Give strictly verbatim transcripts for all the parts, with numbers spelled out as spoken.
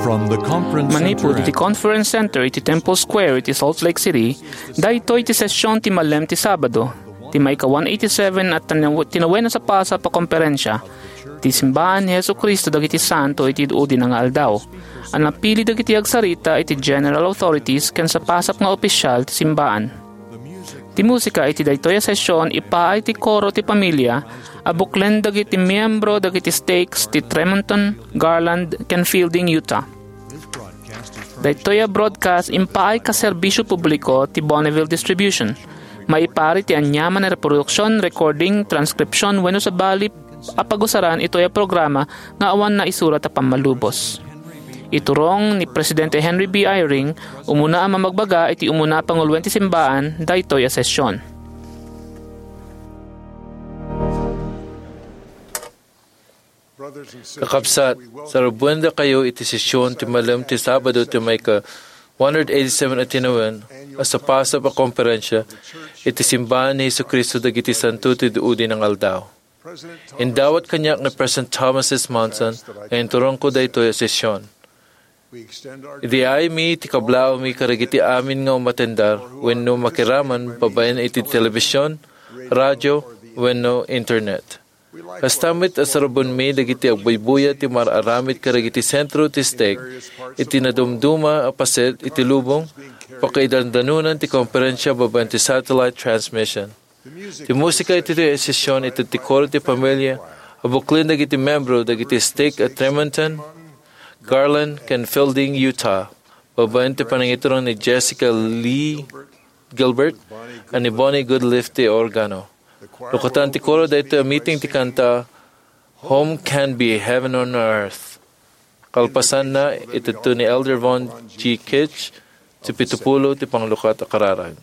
From the conference Manipud center iti at Conference Center iti Temple Square iti Salt Lake City, daytoy ti session ti malem ti Sabado, ti maika one eighty-seven a tinaw-, tinawen a sapasap a komperensia ti Simbaan ni Jesu-Cristo dagiti Santo iti Udi nga Aldaw, a napili dagiti agsarita iti general authorities ken sapasap nga opisyal ti simbaan. Ti musika iti daytoy a session ipaay ti koro ti pamilya a buklen dagiti miyembro dagiti stakes ti Tremonton, Garland, ken Fielding, Utah. Daytoy a broadcast impaay ka serbisio publiko ti Bonneville Distribution. Maipari ti aniaman a reproduksion, recording, transcription, wenno sabali a pagusaran itoy a programa nga awan naisurat a pammalubos. Iturong ni Presidente Henry B. Eyring, umuna a mamagbaga iti umuna a panguloen ti simbaan, daytoy a session. Kakabsat, sarabendakayo iti session ti malem ti Sabado ti maika one hundred eighty-seven a tinawen a sapasap a komperensia iti Simbaan ni Jesu-Cristo dagiti Santo ti Udi nga Aldaw. Indawat kaniak ni President Thomas S. Monson nga inturongko daytoy a session. Idi aymi ti kablaawmi kadagiti amin nga umatendar wenno makiraman babaen iti telebisyon, radyo, wenno internet. Kasta met a sarabenmi dagiti agbuybuya ti mar-aramid kadagiti sentro ti stake iti nadumduma a paset iti lubong, pakaidandanonan ti komperensia babaen ti satellite transmission. Ti musika iti session iti ti koro ti pamilya a buklen dagiti membro dagiti stake a Tremonton, Garland, ken Fielding, Utah, babaen ti panangiturong ni Jessica Lee Gilbert ken ni Bonnie Goodliff ti organo. Lukatan ti koro daytoy a meeting ti kanta Home Can Be Heaven on Earth. Kalpasanna, itedto ni Elder Von G. Kitch ti pitupulo ti panglukat a kararag.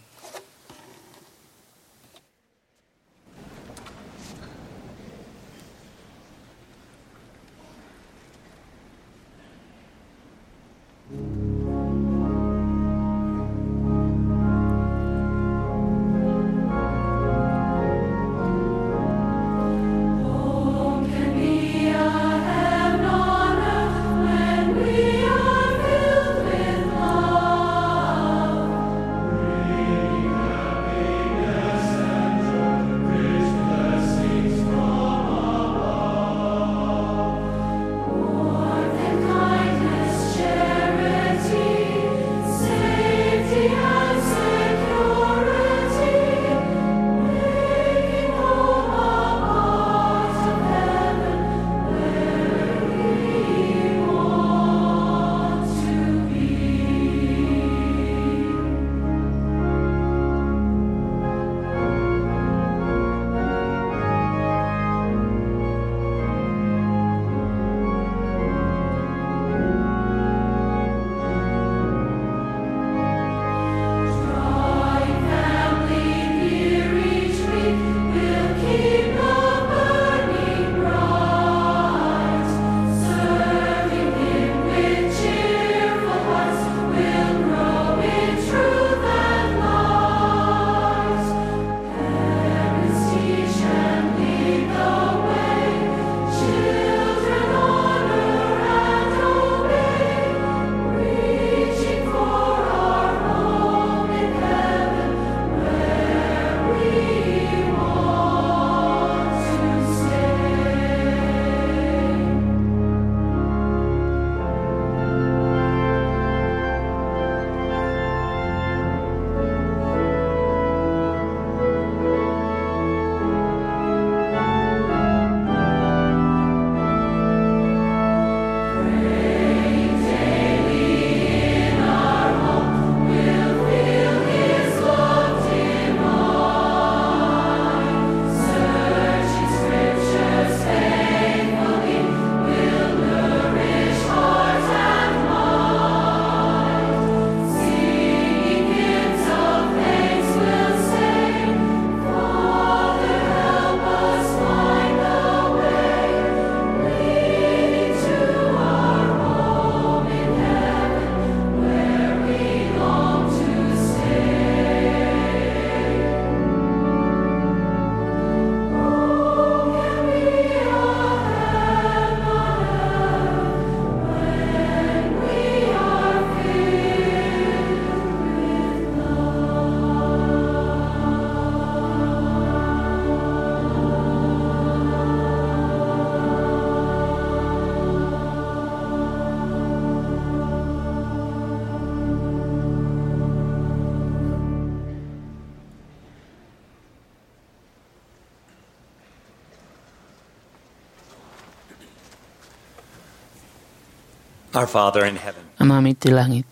Our Father in heaven, Amami ti langit,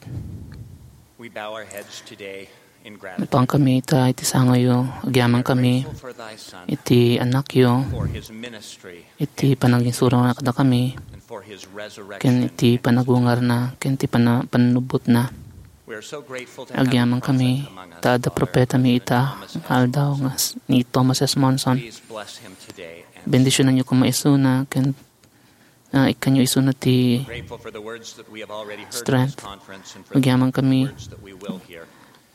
we bow our heads today in gratitude. Napawan kami ita iti sangoyo, agyaman kami Grateful for thy Son, iti anakyo, for his ministry, iti panagingsurona kadakami, and for his resurrection. Ken iti panagungarna, ken iti pana-, pannubbotna. We are so grateful to have Agyaman him kami, present among us, ta adda Father, propetami ita, Thomas nga aldaw nga s-, ni Thomas S. Monson. Please bless him today and Bendisyonanyo koma isuna, ken ah, ikkanyo isuna ti Grateful for the words that we have already heard in this strength. Conference and for the Agyaman kami words that we will hear.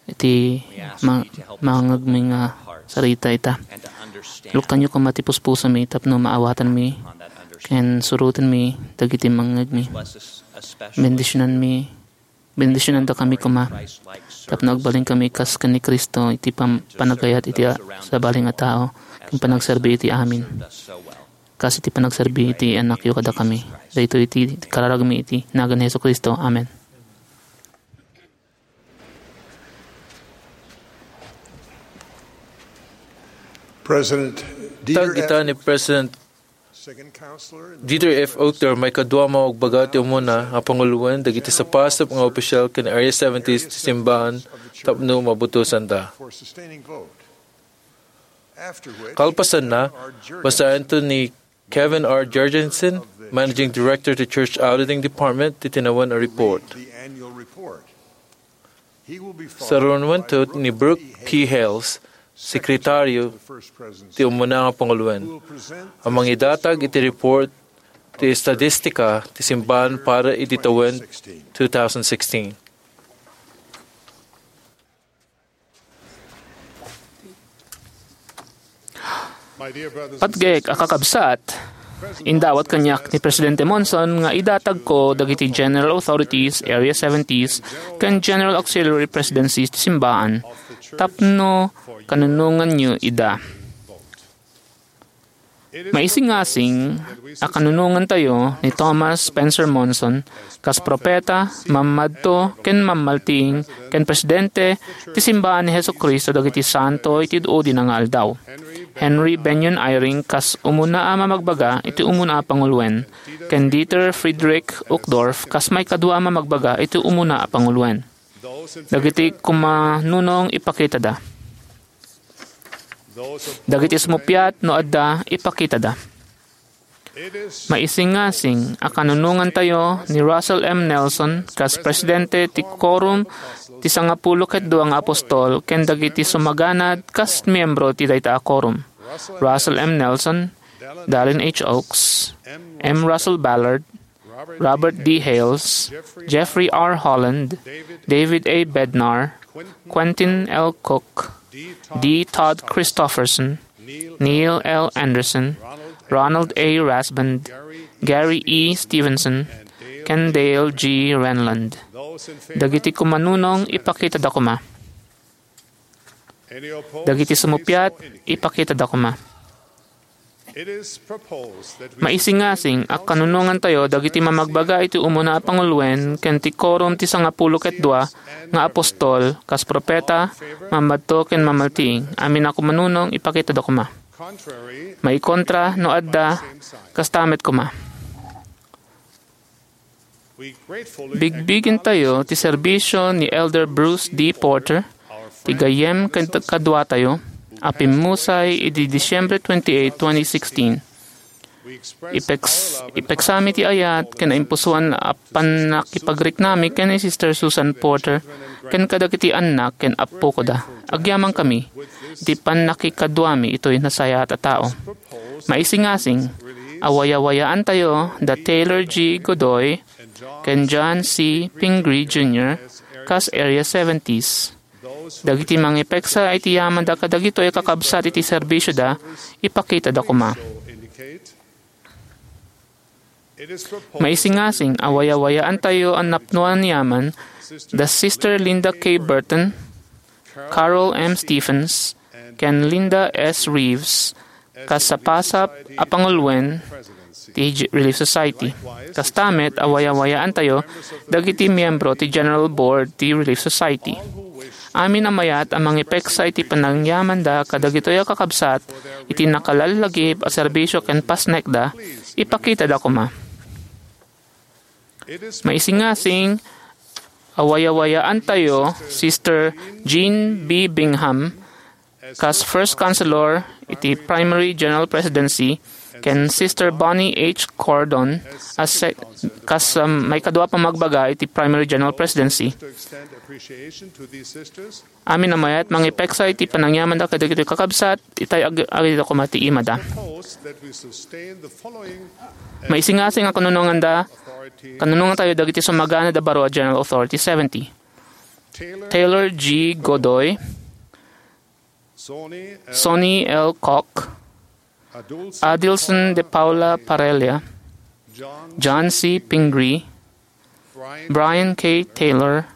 Iti We ask ma-, thee to help us mangngegmi open nga our hearts sarita ita. And to understand Luktanyo koma ti puspusomi tapno maawatanmi upon that understanding. Ken surotenmi dagiti mangngegmi. Bless us especially Bendisyonanmi Bendisyonandakami koma tapno agbalinkami kas ken ni Cristo iti pam-, panagayat iti a-, sabali nga tao ken panagserbi iti amin, kas iti panagserbi iti Anakyo kadakami. Daytoy iti kararagmi iti nagan ni Jesu-Cristo. Amen. President Dieter Tagita F. ni President Dieter F. Uchtdorf, maikadua a mabagbaga ti umuna a panguloen dagiti sapasap nga opisyal ken Area seventy ti simbaan tapno mabutosanda. Kalpasanna, basaento ni Kevin R. Jorgensen, Managing Director ti Church Auditing Department, ti tinawen a report. Sarunuento ni Brooke P. Hales, Sekretaryo ti Umuna nga Panguloen, a mangidatag iti report ti estatistika ti simbaan para iti tawen two thousand sixteen. Patgek a kakabsat, indawat kaniak ni Presidente Monson nga idatagko dagiti General Authorities, Area seventies, ken General Auxiliary Presidencies ti simbaan tapno kanunonganyo ida. Maisingasing a kanunongantayo ni Thomas Spencer Monson kas propeta, mammadto, ken mammaltiing ken presidente ti simbaan ni Jesu-Cristo dagiti santo iti id-udina nga aldaw. Henry Bennion Eyring kas umuna a mamagbaga iti umuna a panguloen, ken Dieter Friedrich Uchtdorf kas maikadua a mamagbaga iti umuna a panguloen. Dagiti kumanunong ipakitada. Dagiti sumuppiat no adda ipakitada. Maisingasing a kanunongantayo ni Russell M. Nelson kas presidente ti Quorum ti Sangapulo ket Dua nga Apostol ken dagiti sumaganad kas miyembro ti dayta a quorum. Russell M. Nelson, Dallin H. Oaks, M. Russell Ballard, Robert D. Hales, Jeffrey R. Holland, David A. Bednar, Quentin L. Cook, D. Todd Christofferson, Neil L. Andersen, Ronald A. Rasband, Gary E. Stevenson, ken Dale G. Renlund. Dagiti kumanunong ipakitada koma. Dagiti sumuppiat, ipakitada koma. Maisingasing a kanunongantayo dagiti mamagbaga iti umuna a panguloen ken ti Quorum ti Sangapulo ket Dua nga Apostol kas propeta, mammadto ken mamaltiing. Amin a kumanunong, ipakitada koma. Maikontra no adda, kasta met koma. Bigbigentayo ti serbisio ni Elder Bruce D. Porter, ti gayyem ken kaduatayo, a pimmusay idi Disyembre twenty-eight, twenty sixteen. Ipeks-, ipeksami ti ayat ken naimpusoan a pannakipagriknami ken ni Sister Susan Porter ken kadagiti annak ken appokoda. Agyamankami iti pannakikaduami itoy nasayaat a tao. Maisingasing a wayawayaantayo da Taylor G. Godoy ken John C. Pingree Junior kas Area seventies. Dagiti mangipeksa iti yamanda kadagitoy a kakabsat iti serbisioda, ipakitada koma. Maisingasing a wayawayaantayo a napnoan yaman da Sister Linda K. Burton, Carol M. Stephens, ken Linda S. Reeves, kas sapasap a panguloen ti J-, Relief Society. Kasta met a wayawayaantayo dagiti miyembro ti General Board ti Relief Society. Amin a mayat a mangipeksa iti panangyamanda kadagitoy a kakabsat iti nakalallagip a serbisio ken pasnekda, ipakitada koma. Maisingasing a wayawayaantayo Sister Jean B. Bingham kas First Counselor iti Primary General Presidency ken Sister Bonnie H. Cordon as se-, kas, um, maikadua a pamagbaga iti Primary General Presidency. Amin a mayat mangipeksa iti panangyamanda kadagiti kakabsat, itay ag-, agidda koma ti imada. Maisingasing a kanunonganda, kanunongantayo dagiti sumaganad a baro a General Authority seventy. Taylor G. Godoy, Sonny L. Koch, Adilson de Paula Parella, John C. Pingree, Brian K. Taylor,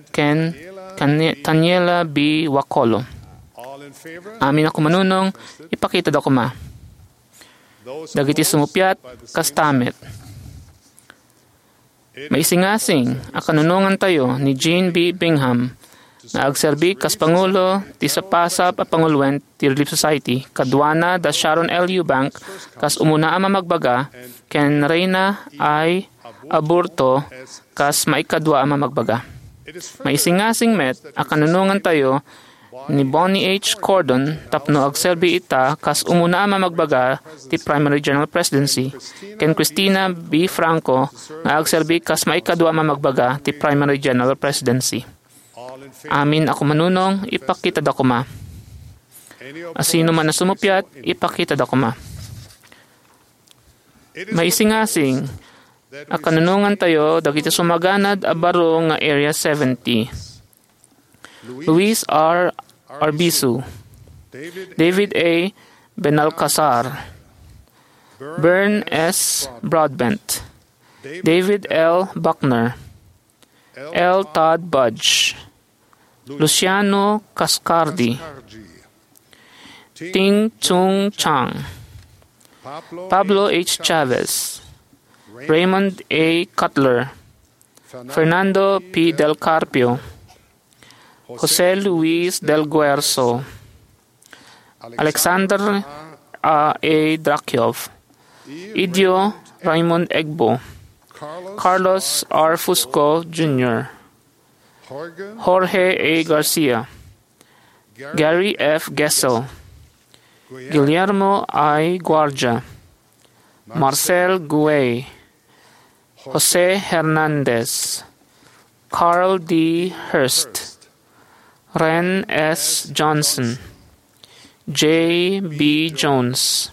ken Tanie-, Taniela B. Wakolo. Amin a kumanunong, ipakitada koma. Dagiti sumuppiat, kasta met. Maisingasing a kanunongantayo ni Jean B. Bingham nga agserbi kas pangulo ti sapasap a panguloen ti Relief Society, kaduana da Sharon L. Eubank kas umuna a mamagbaga ken Reina I. Aburto kas maikadua a mamagbaga. Maisingasing met a kanunongantayo ni Bonnie H. Cordon tapno agserbi ita kas umuna a mamagbaga ti Primary General Presidency, ken Christina B. Franco nga agserbi kas maikadua a mamagbaga ti Primary General Presidency. Amin a kumanunong, ipakitada koma. Asino man a sumuppiat, ipakitada koma. Maisingasing a kanunongantayo dagiti sumaganad a baro nga Area seventy. Luis R. Arbizu, David A. Benalcazar, Bern S. Broadbent, David L. Buckner, L. Todd Budge, Luciano Cascardi, Ting Chung Chang, Pablo H. Chavez, Raymond A. Cutler, Fernando P. Del Carpio, Jose Luis Del Guerzo, Alexander A. A. Drakyov, Idio Raymond Egbo, Carlos R. Fusco Junior, Jorge A. Garcia, Gary F. Gesell, Guillermo I. Guardia, Marcel Guay, Jose Hernandez, Carl D. Hurst, Ren S. Johnson, J. B. Jones,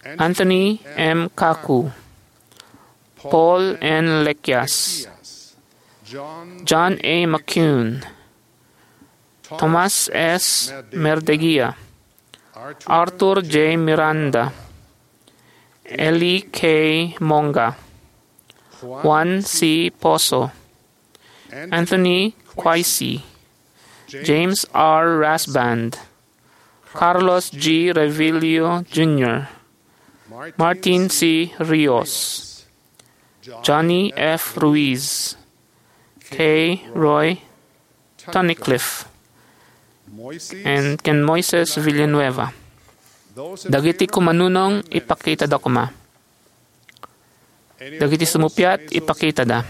Anthony M. Kaku, Paul N. Lekias, John A. McCune, Thomas S. Merdeguia, Arthur J. Miranda, Eli K. Monga, Juan C. Pozo, Anthony Quaisi, James R. Rasband, Carlos G. Revillo Junior, Martin C. Rios, Johnny F. Ruiz, K. Roy Tunnicliffe, and ken Moises Villanueva. Dagiti kumanunong, ipakitada koma. Dagiti sumuppiat, ipakitada.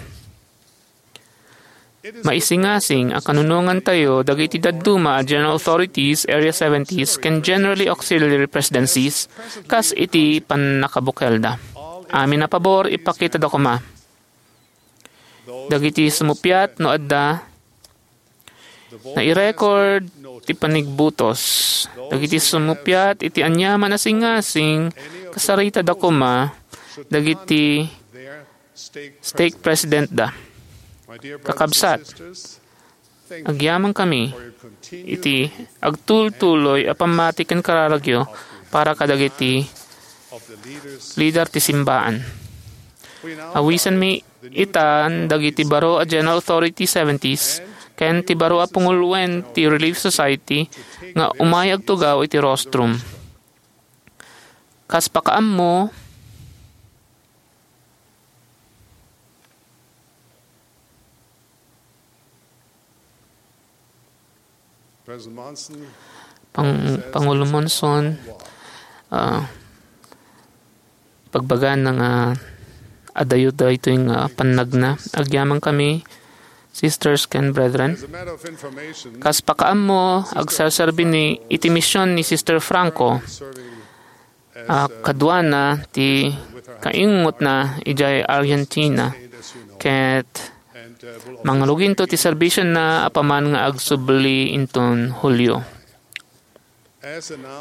Maisingasing a kanunongantayo dagiti dadduma a General Authorities, Area seventies, ken Generally Auxiliary Presidencies kas iti pannakabukelda. Amin a pabor, ipakitada koma. Dagiti sumuppiat no adda nairecord ti panigbutos. Dagiti sumuppiat iti aniaman a singasing, kasaritada koma dagiti stake presidentda. Kakabsat, agyamankami iti agtultuloy a pammati ken kararagyo para kadagiti lider ti simbaan. Awisanmi itan dagiti baro a General Authority seventies ken ti baro a panguloen ti Relief Society nga umay agtugaw iti rostrum. Kas pakaammo, President Monson, Pang-, Pangulo Monson, ah, pagbagan nga adayo daytoy nga pannagna. Agyamankami, sisters ken brethren. Kas pakaammo, agserserbi ni, iti mision ni Sister Franco. A, kaduana ti kaingotna idiay Argentina, ket mangrugito ti serbisionna apaman nga agsubli inton Hulio.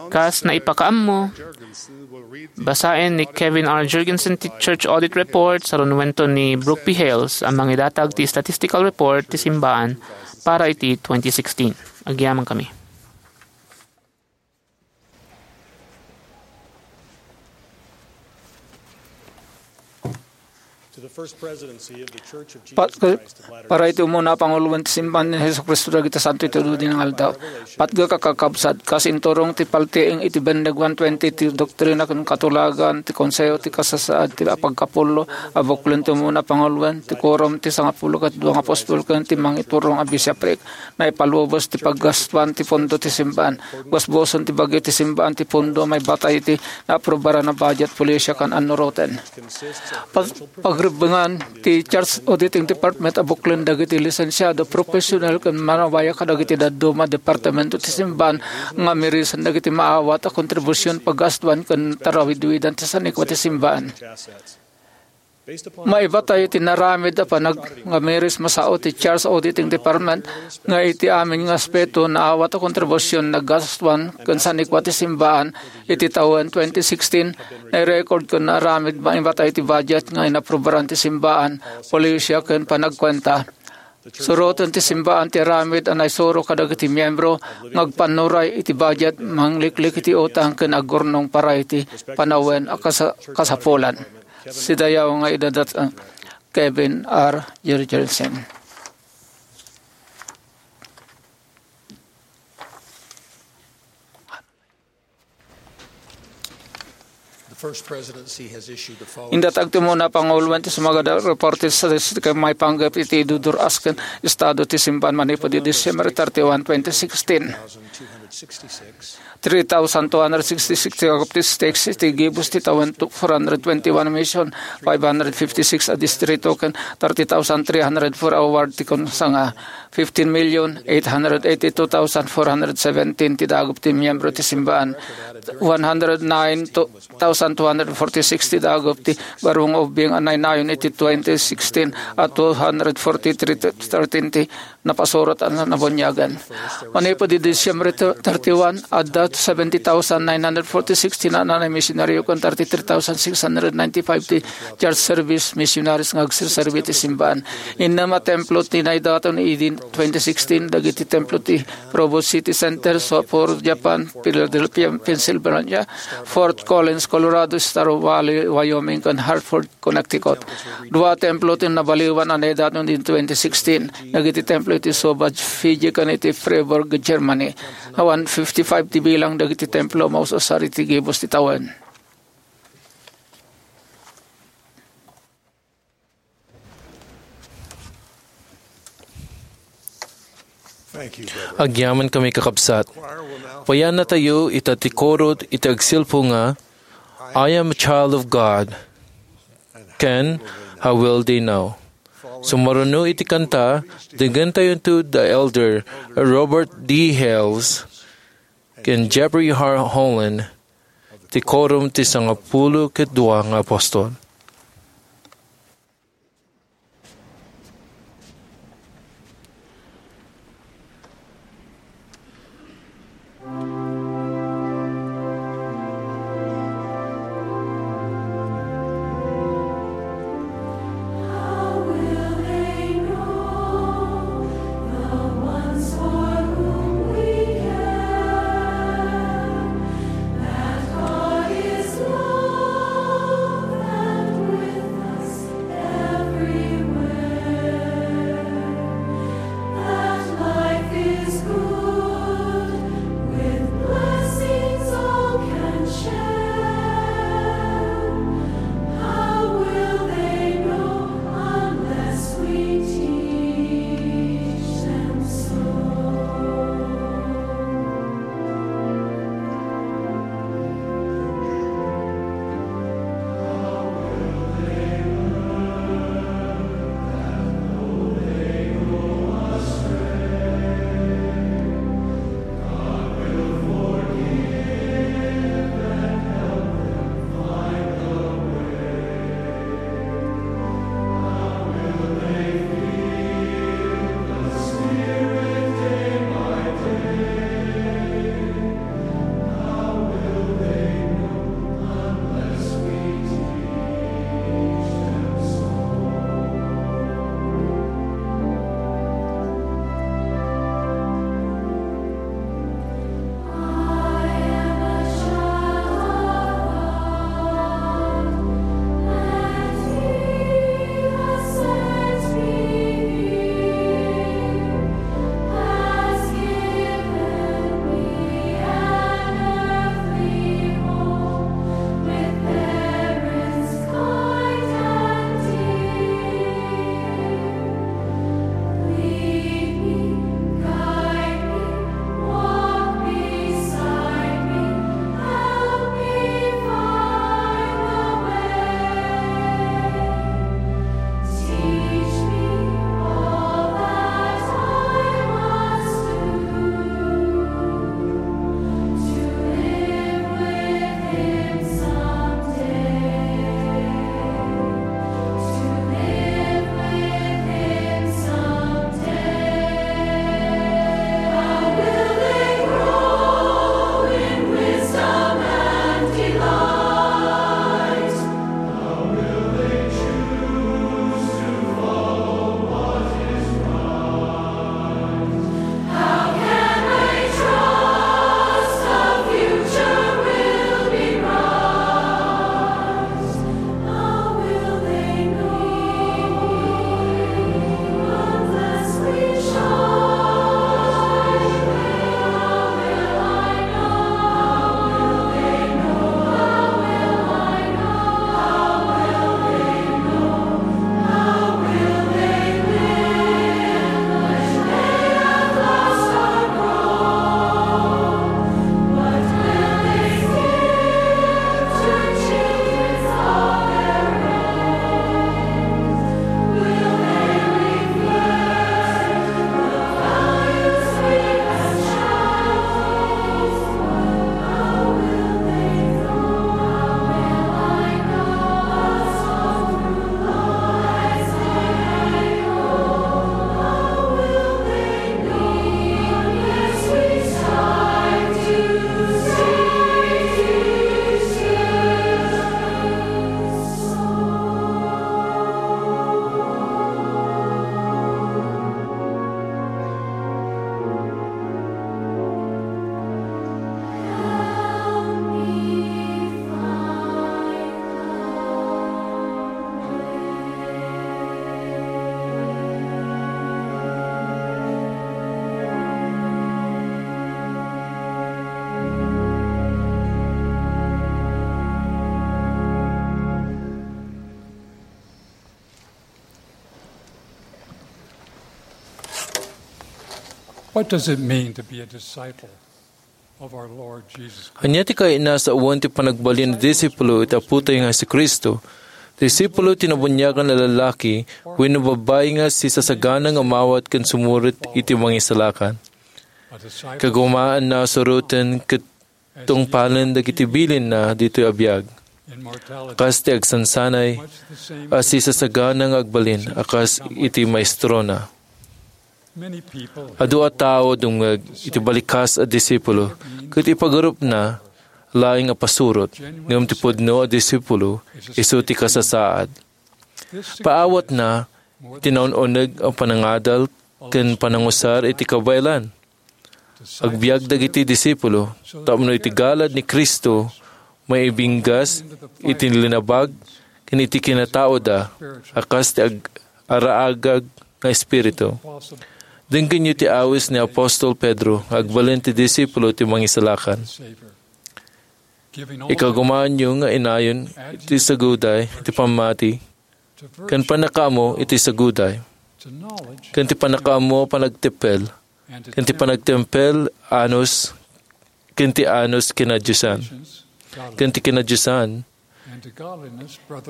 Kas naipakaammo, basaen ni Kevin R. Jergensen ti Church Audit Report, sarunuento ni Brooke P. Hales a mangidatag ti statistical report ti simbaan para iti twenty sixteen. Agyamankami. To the First Presidency of the Church of Jesus Pat-, Christ of Latter-day para iti umuna a panguloen ti Simbahan ni Jesu-Cristo dagiti Santo iti Dudi nga Aldaw. Patgek a kakabsat, kas inturong ti paltiing iti Bendeg one twenty ti Doktrina ken Katulagan, ti Konseho ti Kasasaad ti Apagkapullo, a buklon ti umuna a panguloen, ti Quorum ti Sangapulo ket Dua nga Apostol ken ti Mangiturong a Bishopric. Naipalubos ti paggastuan ti pondo ti simbaan. Busbuson ti bagyo ti simbaan ti pondo maibatay iti naaprubaran a budget, polisia, ken annuroten. Pag-, pagrebbengan ti Church Auditing Department a buklon dagiti lisensiado, profesional, ken manabayo kadagiti dadduma a departamento ti simbaan nga mirisen dagiti maawat a kontribusion, paggastuan, ken tarawidwidan ti sanikua ti simbaan. Maibatay iti naramid a panag-, nga miris masao ti Church Auditing Department nga iti amin nga aspeto naawat a kontribusion naggastuan ken sanikua ti simbaan iti tawen twenty sixteen, nairecord ken naaramid maibatay iti budget nga inaprubaran ti simbaan, polisia ken panagkuenta. Suroten ti simbaan ti aramid a naisuro kadagiti miembro nga agpannuray iti budget, mangliklik iti utang ken agurnong para iti panawen a kasa-, kasapulan. Sidayaw nga idadat, uh, Kevin R. Jergensen. The First Presidency has issued the following. Indatag ti umuna a panguloen ti sumagada report ti statistics ken maipanggep iti idudur-as ken estado ti simbaan manipud idi December thirty-one, twenty sixteen. Three thousand two hundred sixty-six ti agap ti stakes iti gibus ti tawen, four hundred twenty-one mission, five hundred fifty-six a distrito, ken thirty thousand three hundred four a ward ti konsanga. Fifteen million eight hundred eighty-two thousand four hundred seventeen ti dagop ti miembro ti simbaan. One hundred nine thousand two hundred forty-six ti dagop ti barung ubing a nainayon iti twenty sixteen a two hundred forty-three thirteen ti napasurat a nabuniagan. Manipud idi Disyembre thirty-one, adda seventy thousand nine hundred forty-six ti naan a misionaryo ken thirty-three thousand six hundred ninety-five ti church service missionaries nga agserserbi iti simbaan. Innem a templo ti naidaton idi twenty sixteen, dagiti templo ti Provo City Center, Sapporo, Japan, Philadelphia, Pennsylvania, Fort Collins, Colorado, Star Valley, Wyoming, ken Hartford, Connecticut. Dua templo ti nabaliwan a naidaton idi twenty sixteen, dagiti templo iti Suva, Fiji, ken iti Freiburg, Germany. Awan fifty-five ti bilang dagiti templo a maus-usar iti gibus ti tawen. Thank you, brother. Agyamankami, kakabsat. Payannatayo ita ti koro iti agsilpo nga, "I am a child of God," ken "How will they know?" Sumaruno iti kanta, dengngentayonto da Elder Robert D. Hales ken Jeffrey R. Holland, ti Quorum ti Sangapulo ket Dua nga Apostol. What does it mean to be a disciple of our Lord Jesus Christ? Ania ti kayatna sawen ti panagbalin a disipulo iti Apotayo nga Jesu-Cristo? Disipulo ti nabuniagan a lalaki wenno babbai nga sisasagana nga umawat ken sumurit iti Mangisalakan. Kagumaanna a suroten ket tungpalen dagiti bilinna ditoy a biag. Kas ti agsansanay a sisasagana nga agbalin a kas iti maestrona. Adu a tao dumngeg iti balikas a disipulo ket ipagarupna laeng a pasurot, ngem ti pudno a disipulo isu ti kasasaad. Paawatna iti naun-uneg a panangadal ken panangusar iti kabaelan. Agbiag dagiti disipulo tapno iti galad ni Cristo maibinggas iti linabag ken iti kinataoda a kas ti ag-, araagag nga espiritu. Denggenyo ti awis ni apostol Pedro nga agbalin ti disipulo ti Mangisalakan. Ikagumaanyo nga inayon iti saguday iti pammati ken pannakaammo iti saguday, ken ti pannakaammo panagtempel, ken ti panagtempel anus, ken ti anus kinadiosan, ken ti kinadiosan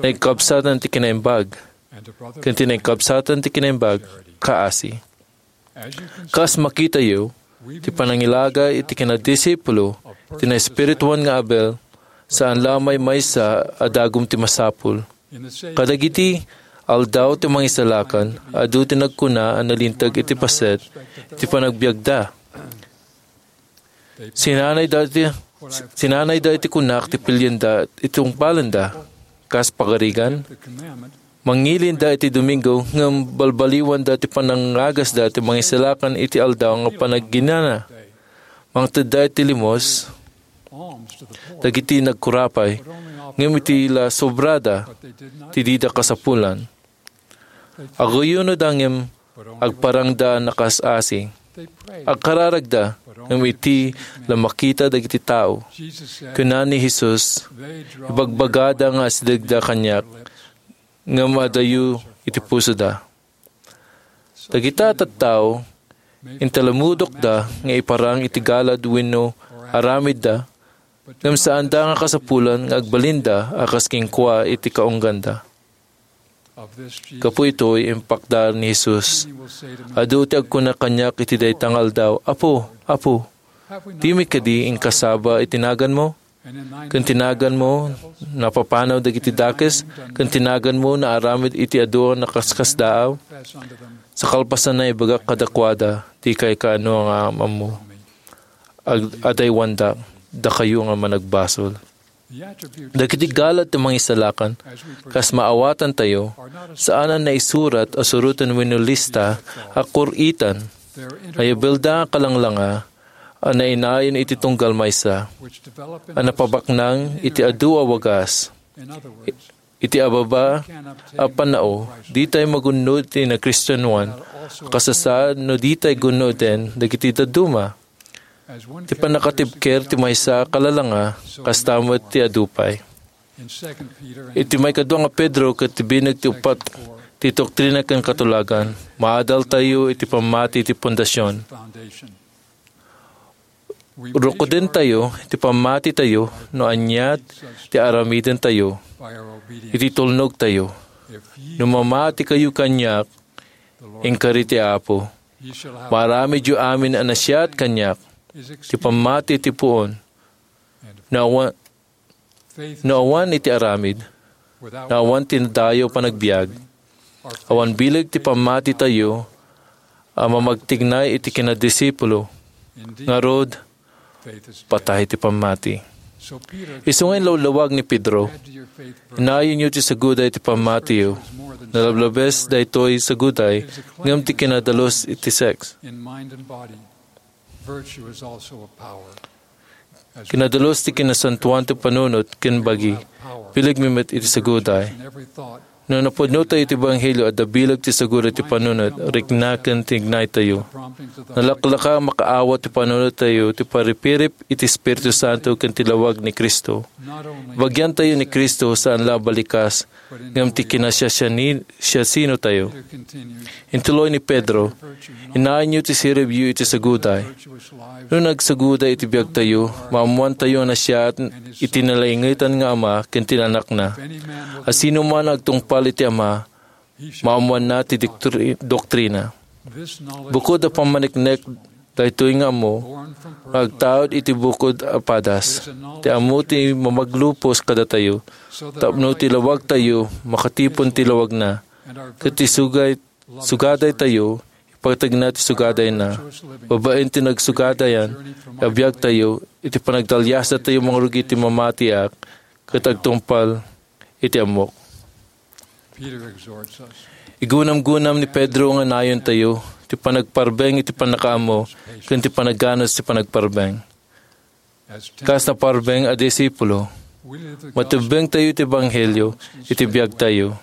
naikabsatan ti kinaimbag, ken ti naikabsatan ti kinaimbag kaasi. Kas makitayo, ti panangilaga iti kinadisipulo ti naespirituan nga Abel, saan la a maymaysa a dagum ti masapul. Kadagiti aldaw ti Mangisalakan, adu ti nagkuna a nalinteg iti paset iti panagbiagda. Sinanayda iti, sinanayda iti kunak ti pilienda iti tungpalenda. Kas pagarigan, mangilinda iti Domingo, ngem balbaliwanda ti panangagasda ti Mangisalakan iti aldaw nga panagginana. Mangtedda iti limos dagiti nagkurapay, ngem iti la sobrada ti dida kasapulan. Aguyunoda ngem agparangda a nakas-asi. Agkararagda ngem iti la makita dagiti tao. Kuna ni Jesus, "Ibagbagada nga asidegda kaniak, ngem adayo iti pusoda." Dagita a tattao, intalamudokda nga iparang iti galad wenno aramidda, ngem saanda nga kasapulan nga agbalinda a kas kenkuana iti kaungganda. Gapu itoy, impakdar ni Jesus, "Adu ti agkuna kaniak iti dayta nga aldaw, 'Apo, Apo, dimi kadi inkasaba iti naganmo? Ken ti naganmo, napapanaw dagiti dakes, ken ti naganmo, naaramid iti adu a nakaskasdaaw?' Sa kalpasanna, ibagak kadakuada, dikay kaano nga am-ammo. Ag-, adaywandak, dakayo nga managbasol." Dagiti galad ti Mangisalakan, kas maawatantayo, saan a naisurat a suroten wenno lista a kur-itan. Ayabelda a kalanglanga a nainayon iti tunggal maysa a napabaknang iti adu a wagas. Iti ababa a pannao, ditay magunnod ti nakristianoan a kasasaad no ditay gunnoden dagiti dadduma. Ti pannakatibker ti maysa a kalalanga, kasta met ti adu pay. Iti maikadua nga Pedro ket ti binek ti uppat ti Doktrina ken Katulagan, maadaltayo iti pammati ti pundasion. Rukodentayo iti pammatitayo no ania ti aramidentayo iti tulnogtayo. No mamatikayo kaniak, inkari ti Apo, maaramidyo amin a nasayaat kaniak ti pammati ti puon. No awan, no awan iti aramid, no awan ti nadayaw panagbiag, awan bileg ti pammatitayo a mamagtignay iti kinadisipulo. Ngarud, patay ti pammati. Isu nga inlawlawag ni Pedro, "Inayonyo ti saguday ti pammatiyo." Nalablabes daytoy saguday, ngem ti kinadalus iti sex. Kinadalus ti kinasantoan ti panunot ken bagi, bileg mi met iti saguday. No napudnotayo ti ebanghelio, adda bileg ti saguda ti panunot, rikna ken tignaytayo. Nalaklaka a makaawat ti panunottayo ti paripirip iti Espiritu Santo ken ti lawag ni Cristo. Ibagyantayo ni Cristo saan la a balikas, ngem ti kinasiasiani-, siasinotayo. Intuloy ni Pedro, "Innaanyo ti siribyo iti saguday." No nagsaguday iti biagtayo, maammoantayo a nasayaat iti nalaingetan nga Ama ken ti Anakna. A sino man agtungpal iti Ama, maammoanna ti diktri-, doktrina. Bukod a pammaneknek, daytoy nga ammo nga agtaud iti bukod a padas. Ti ammo ti mamaglupos kadatayo, tapno ti lawagtayo makatipon ti lawagna, ket ti sugay-, sugadaytayo, ipateg na ti sugadayna. Babaen ti nagsugadayan, a biagtayo, iti panagtalliasdatayo mangrugi ti mamatiak, ket agtungpal iti ammok. Peter exhorts us. Igunamgunam ni Pedro nga nayontayo ti panagparbeng iti pannakaammo ken ti panaganus ti panagparbeng. Kas naparbeng a disipulo, matubbengtayo iti ebanghelio iti biagtayo.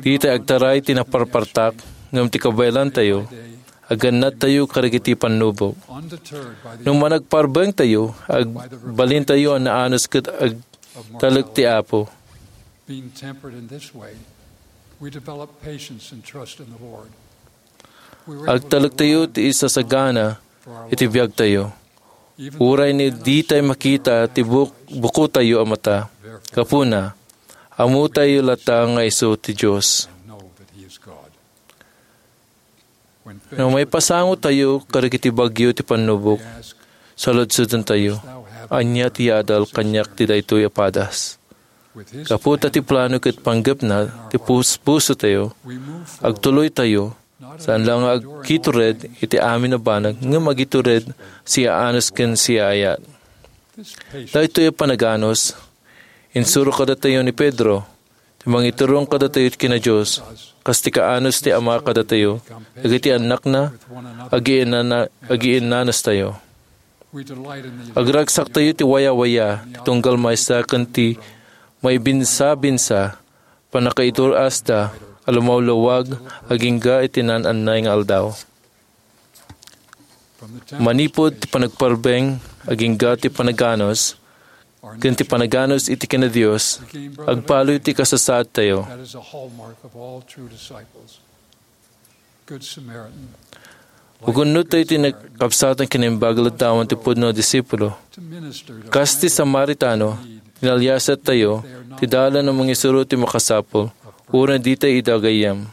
Dita agtaray ti naparpartak, ngem ti kabaelantayo, agannadtayo kadagiti pannubok. No managparbengtayo, agbalintayo a naanus ket agtalek ti Apo. Being tempered in this way, we develop patience and trust in the Lord. Agtalektayo ti isasagana iti biagtayo. Uray ni ditay makita ti buk-, bukotayo a mata. Gapuna, ammotayo latta nga isu ti Dios. No maipasangotayo kadagiti bagyo ti pannubok, saludsodentayo, "Ania ti yadal kaniak ti daytoy a padas?" Gapu ta ti plano ket panggepna ti puspusotayo, agtuloytayo, saan la nga agitured iti amin a banag, ngem agitured siaanus ken siaayat. Daytoy a panaganus, insuro kadatayo ni Pedro, ti mangiturong kadatayo ken Dios, kas ti kaanus ti Ama kadatayo, dagiti annakna, agiinnana-, agiinnanustayo. Agragsaktayo ti wayawaya, ti tunggal maysa ken ti maibinsabinsa, pannakaitur-asda a lumawlawag agingga iti naan-annay nga aldaw. Manipud ti panagparbeng agingga ti panaganus, ken ti panaganus iti ken-Dios, agpaloy ti kasasaadtayo. That is a hallmark of all true disciples. Good Samaritan. Ugunnottayo ti nakabsatan ken naimbag a laddawan ti pudno a disipulo. Kas ti Samaritano, tinaliasattayo ti dalan a mangisuro ti makasapul, uray ditay ida gayyem.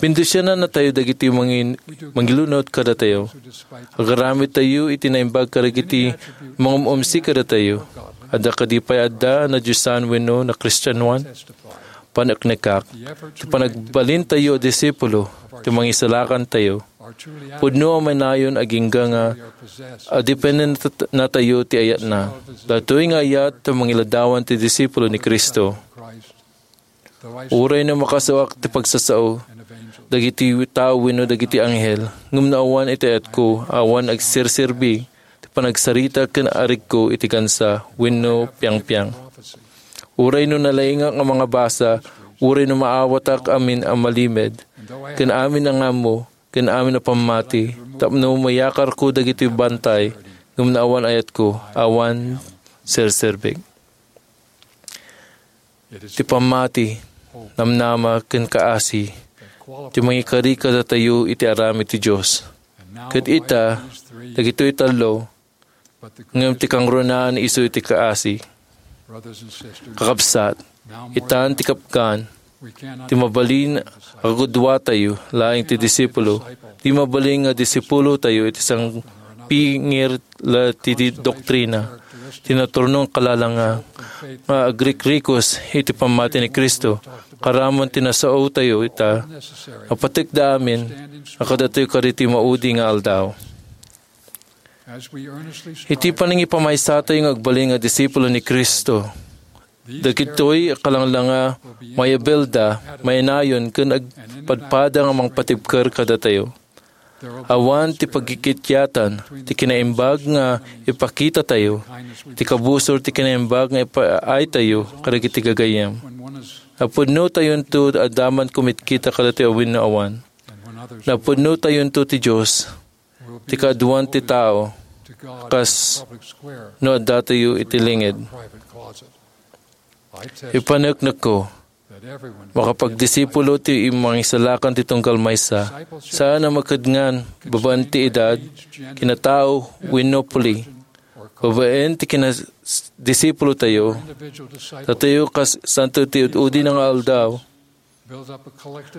Bendisionannatayo dagiti mangin-, mangilunod kadatayo. Agaramidtayo iti naimbag kadagiti mangum-umsi kadatayo. Adda kadi pay adda a nadiosan wenno nakristianoan? Paneknekak, ti panagbalintayo a disipulo, ti mangisalakantayo. Pudno a manayon agingga nga adipennennatayo ti ayatna. Daytoy nga ayat ti mangiladdawan ti disipulo ni Cristo. Uray no makasuak ti pagsasao dagiti tao wenno dagiti anghel, ngem no awan iti ayatko, awan agserserbi ti panagsarita ken arigko iti gansa wenno piangpiang. Uray no nalaingak nga mangabasa, uray no maawatak amin a malimed, ken amin a ngammo, ken amin a pammati, tapno mayakarko dagiti bantay, ngem no awan ayatko, awan serserbik. Ti pammati, namnama, ken kaasi ti mangikari kadatayo iti aramid ti Dios. Ket ita, dagitoy tallo, ngem ti kangrunaan isu iti kaasi. Kakabsat, itan ti kapgan, ti mabalin a kagudduatayo laeng ti disipulo, di mabalin nga disipulotayo iti sangpingir la ti di-, doktrina, ti naturnong kalalanga nga agrikrikos iti pammati ni Cristo, karamon ti nasaotayo ita, nga patekda amin a kadatayo kaditi maudi nga aldaw. Iti panangipamaysa tayo nga agbalin nga disipulo ni Cristo, dagitoy a kalanglanga, mayabelda, mainayon, ken agpadpada nga mangpatibker kadatayo. Awan ti pagkikityatan ti kinaimbag nga ipakitatayo, ti kabusor ti kinaimbag nga ipaaytayo kadagiti gagayyem. Napudnotayonto adda man kumitkita kadatayo wenno awan. Napudnotayonto ti Dios, ti kaaduan ti tao, kas no addatayo iti linged. Ipaneknekko, makapagdisipulo ti mangisalakan ti tunggal maysa, saan a makedngan babaen ti edad, kinatao, wenno puli. Babaen ti kinadisipulotayo, datayo kas santo ti ud-udi nga aldaw,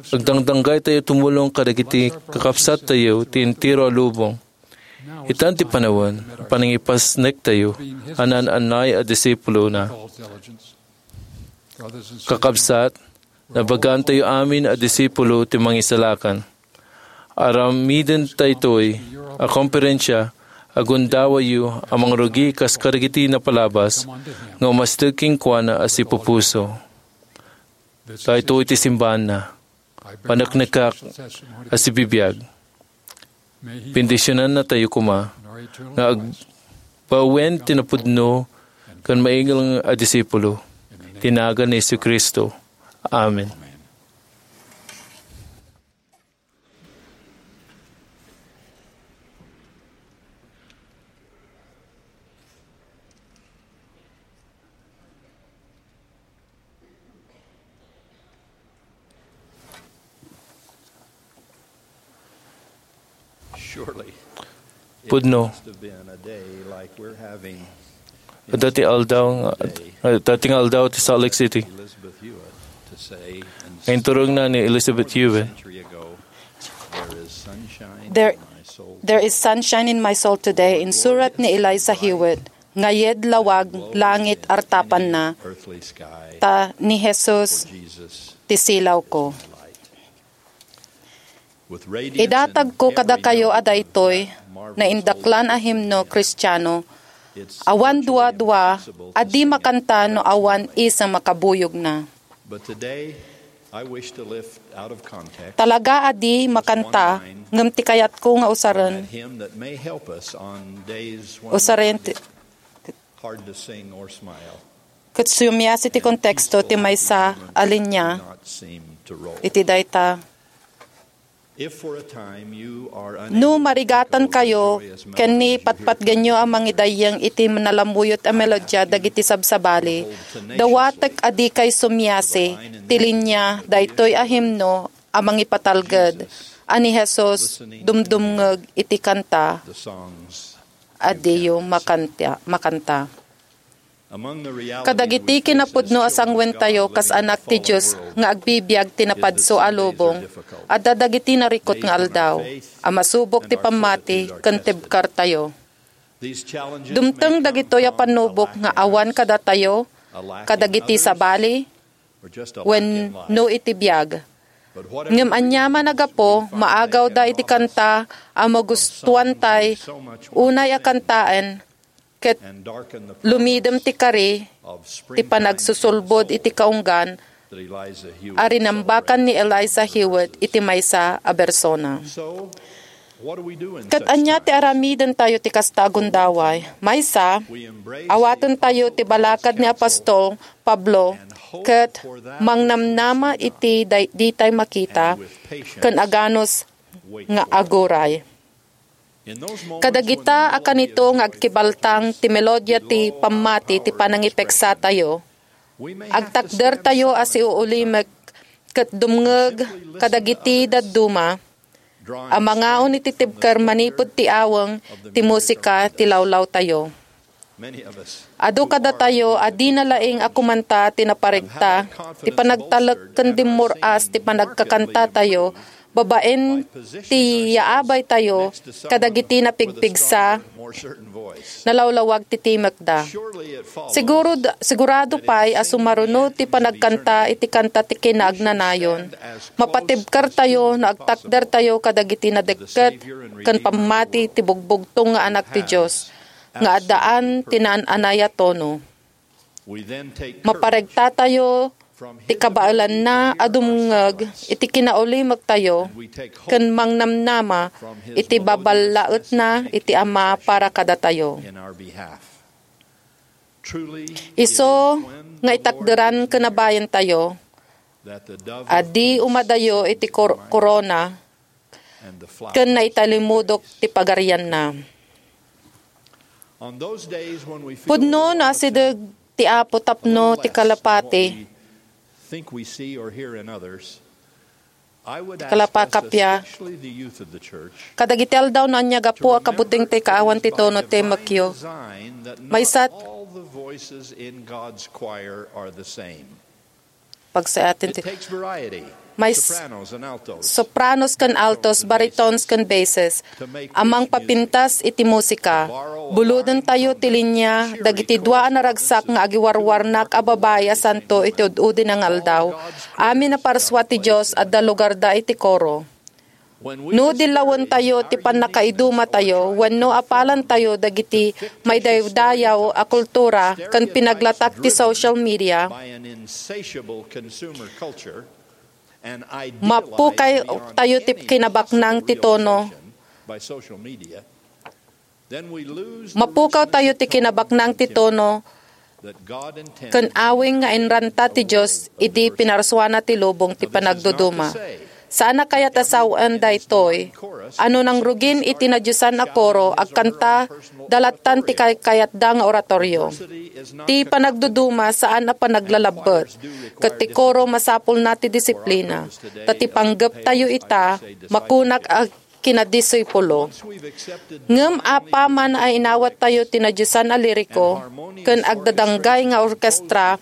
agdangdanggaytayo tumulong kadagiti kakabsattayo ti entero a lubong. Itan ti panawen, panangipasnektayo a naan-annay a disipulona. Kakabsat, nabagantayo amin a disipulo ti Mangisalakan. Aramiden daytoy a komperensia, agundawayo a mangrugi kas kadagiti napalabas nga umasteg kenkuana a sipupuso. Daytoy ti simbaanna. Paneknekak a sibibiag. Bendisionannatayo koma nga agbawen ti napudno ken maingel a disipulo. Iti nagan ni Jesu-Cristo. Amen. Pudno. Adda ti aldaw nga, adda ti nga aldaw ti Salt Lake City. Nga inturongna ni Elizabeth Hewitt. There, there is sunshine in my soul today, insurat ni Eliza Hewitt. Ngayed lawag langit artapanna, ta ni Jesus ti silawko. Idatagko kadakayo a daytoy naindaklan a himno Kristiano, awan duadua a di makanta no awan isem a kabuyogna. Talaga a di makanta, ngem ti kayatko nga usaren, usaren ti, ket sumiasi ti konteksto ti maysa a linia iti dayta. No marigatankayo ken ni patpatgenyo a mangidayyeng iti nalamuyot a melodia dagiti sabsabali, dawatek a dikay sumiasi ti linia daytoy a himno a mangipatalged a ni Jesus dumdumngeg iti kanta a diyo makanta, makanta. Kadagiti kinapudno a sangwentayo kas anak ti Dios nga agbibiag ti napadso a lubong, adda dagiti narikut nga aldaw a masubok ti pammati ken tibkertayo. Dumteng dagitoy a pannubok nga awan kadatayo, kadagiti sabali, wenno iti biag. Ngem aniaman a gapu, maagawda iti kanta a magustuantay unay a kantaen, ket lumidem ti kari ti panagsusulbod iti kaunggan a rinambakan ni Eliza Hewitt iti maysa a bersona. Ket ania ti aramidentayo ti kasta a gundaway? Maysa, awatentayo ti balakad ni apostol Pablo ket mangnamnama iti day-, ditay makita ken aganus nga aguray. Kadagita a kanito nga agkibaltang ti melodia ti pammati ti panangipeksatayo, agtakdertayo a siuulimek ket dumngeg kadagiti dadduma a mangaon iti tibker manipud ti aweng ti musika ti lawlawtayo. Adu kadatayo a dina laeng a kumanta ti naparegta, ti panagtalek ken dimmur-as ti panagkakantatayo babaen ti yaabaytayo kadagiti napigpigsa, nalawlawag ti timekda. Siguro, sigurado pay a sumaruno ti panagkanta iti kanta ti kinaagnanayon. Mapatibkertayo no agtakdertayo kadagiti nadekket ken pammati ti bugbugtong nga Anak ti Dios nga addaan ti naan-anay a tono. Maparegtatayo ti kabaelanna a dumngeg iti kinaulimektayo ken mangnamnama iti baballaetna iti Ama para kadatayo. Isu nga itakderan ken a di umadayo iti kor-, korona ken naitalimudok ti pagarianna. Pudno no asideg ti Apo tapno ti kalapati, kalapakapia, kadagiti aldaw no ania gapu a kabuteng ti kaawan ti tono ti mekyo. Maysa pagsayaten ti may s-, sopranos ken altos, baritones ken basses, a mangpapintas iti musika. Bulodentayo ti linia dagiti dua a naragsak nga agiwarwarnak a babai a santo iti ud-udi nga aldaw. Amin a parsua ti Dios, adda lugarda iti koro. No dillawentayo ti pannakaidumatayo wenno apalantayo dagiti maidaydayaw a kultura ken pinaglatak ti social media, mapukawtayo ti kinabaknang ti tono. Mapukawtayo ti kinabaknang ti tono ken awing nga inranta ti Dios idi pinarsuana ti lubong ti panagduduma. Saan a kayat a sawen daytoy a no nangrugin iti nadiosan a koro, agkanta da lattan ti kaykayatda nga oratorio. Ti panagduduma saan a panaglalabbet, ket ti koro masapulna ti disiplina. Ta ti panggeptayo ita, makunak a kinadisipulo. Ngem apaman a inawattayo ti nadiosan a liriko ken agdadanggay nga orkestra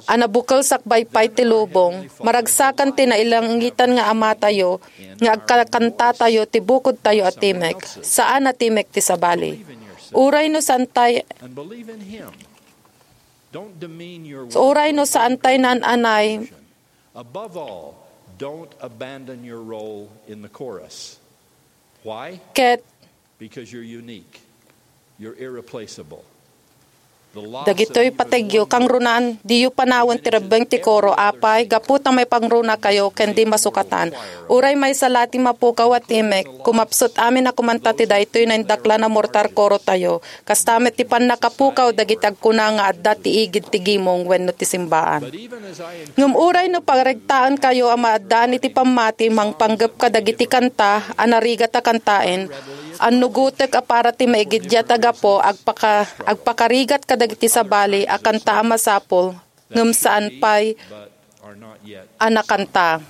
a nabukel sakbay pay ti lubong, maragsakan ti nailangitan nga Amatayo nga agkakantatayo ti bukodtayo a timek. Saan a timek ti sabali. Uray no saantay, uray no saantay naan-anay, Above all, don't abandon your role in the chorus. Why? Ket because you're unique. You're irreplaceable. The loss of dagitoy pategyo, kangrunan, diyo panawen ti rebbeng ti koro, apay, gapu ta maipangrunakayo ken di masukatan. Uray maysa la ti mapukaw a timek, kumapsut amin a kumanta ti daytoy naindaklan a mortar koro tayo. Kasta met ti pannakapukaw dagiti agkuna nga adda ti igid ti gimong wenno ti simbaan. Ngem uray no paregtaenkayo a maaddaan iti pammati mangpanggep kadagiti kanta a narigat a kantaen, annugotek a para ti maigiddiat a gapu, agpaka-, agpakarigat kadagiti sabali a kanta a masapul, ngem saan pay a nakanta.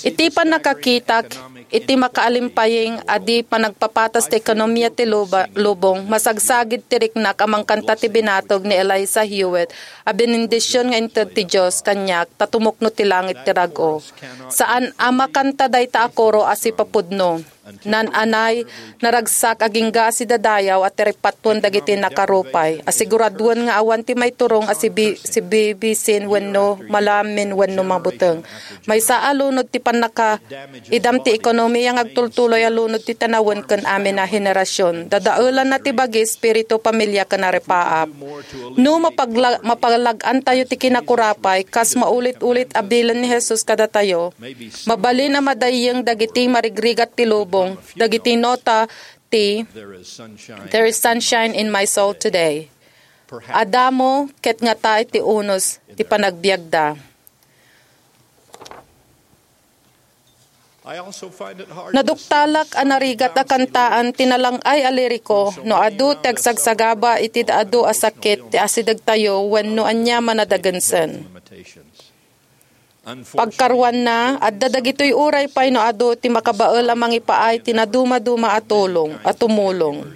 Iti pannakakitak iti makaalimpayeng a di panagpapatas ti ekonomia ti luba-, lubong, masagsagid ti riknak a mangkanta ti binatog ni Eliza Hewitt a benendisyon nga inted ti Dios kaniak ta tumukno ti langit ti rag-o. Saan a makanta dayta a koro a sipapudno. Naan-anay, naragsak agingga a sidadayaw a ti ripattuan dagiti nakarupay. Asiguraduen nga awan ti maiturong a sibi-, sibibisin wenno malamin wenno mabuteng. Maysa a lunod ti pannakaidam ti ekonomiya nga agtultuloy a lunod ti tanawen ken amin a henerasion. Dadaelanna ti bagi, espiritu, pamilia ken aripaap. No mapagla-, mapalag-antayo ti kinakurapay, kas maulit-ulit a bilen ni Jesus kadatayo, mabalin a madayyeng dagiti marigrigat ti lubong, dagiti nota ti There is sunshine in my soul today. Adda met ket ngata iti unos ti panagbiagda. Naduktalak a narigat a kantaan ti nalang-ay a liriko no adu ti agsagsagaba iti adu a sakit ti asidegtayo wenno aniaman a dagensen. Pagkaruanna, adda dagitoy uray pay no adu ti makabael a mangipaay ti nadumaduma a tulong, a tumulong.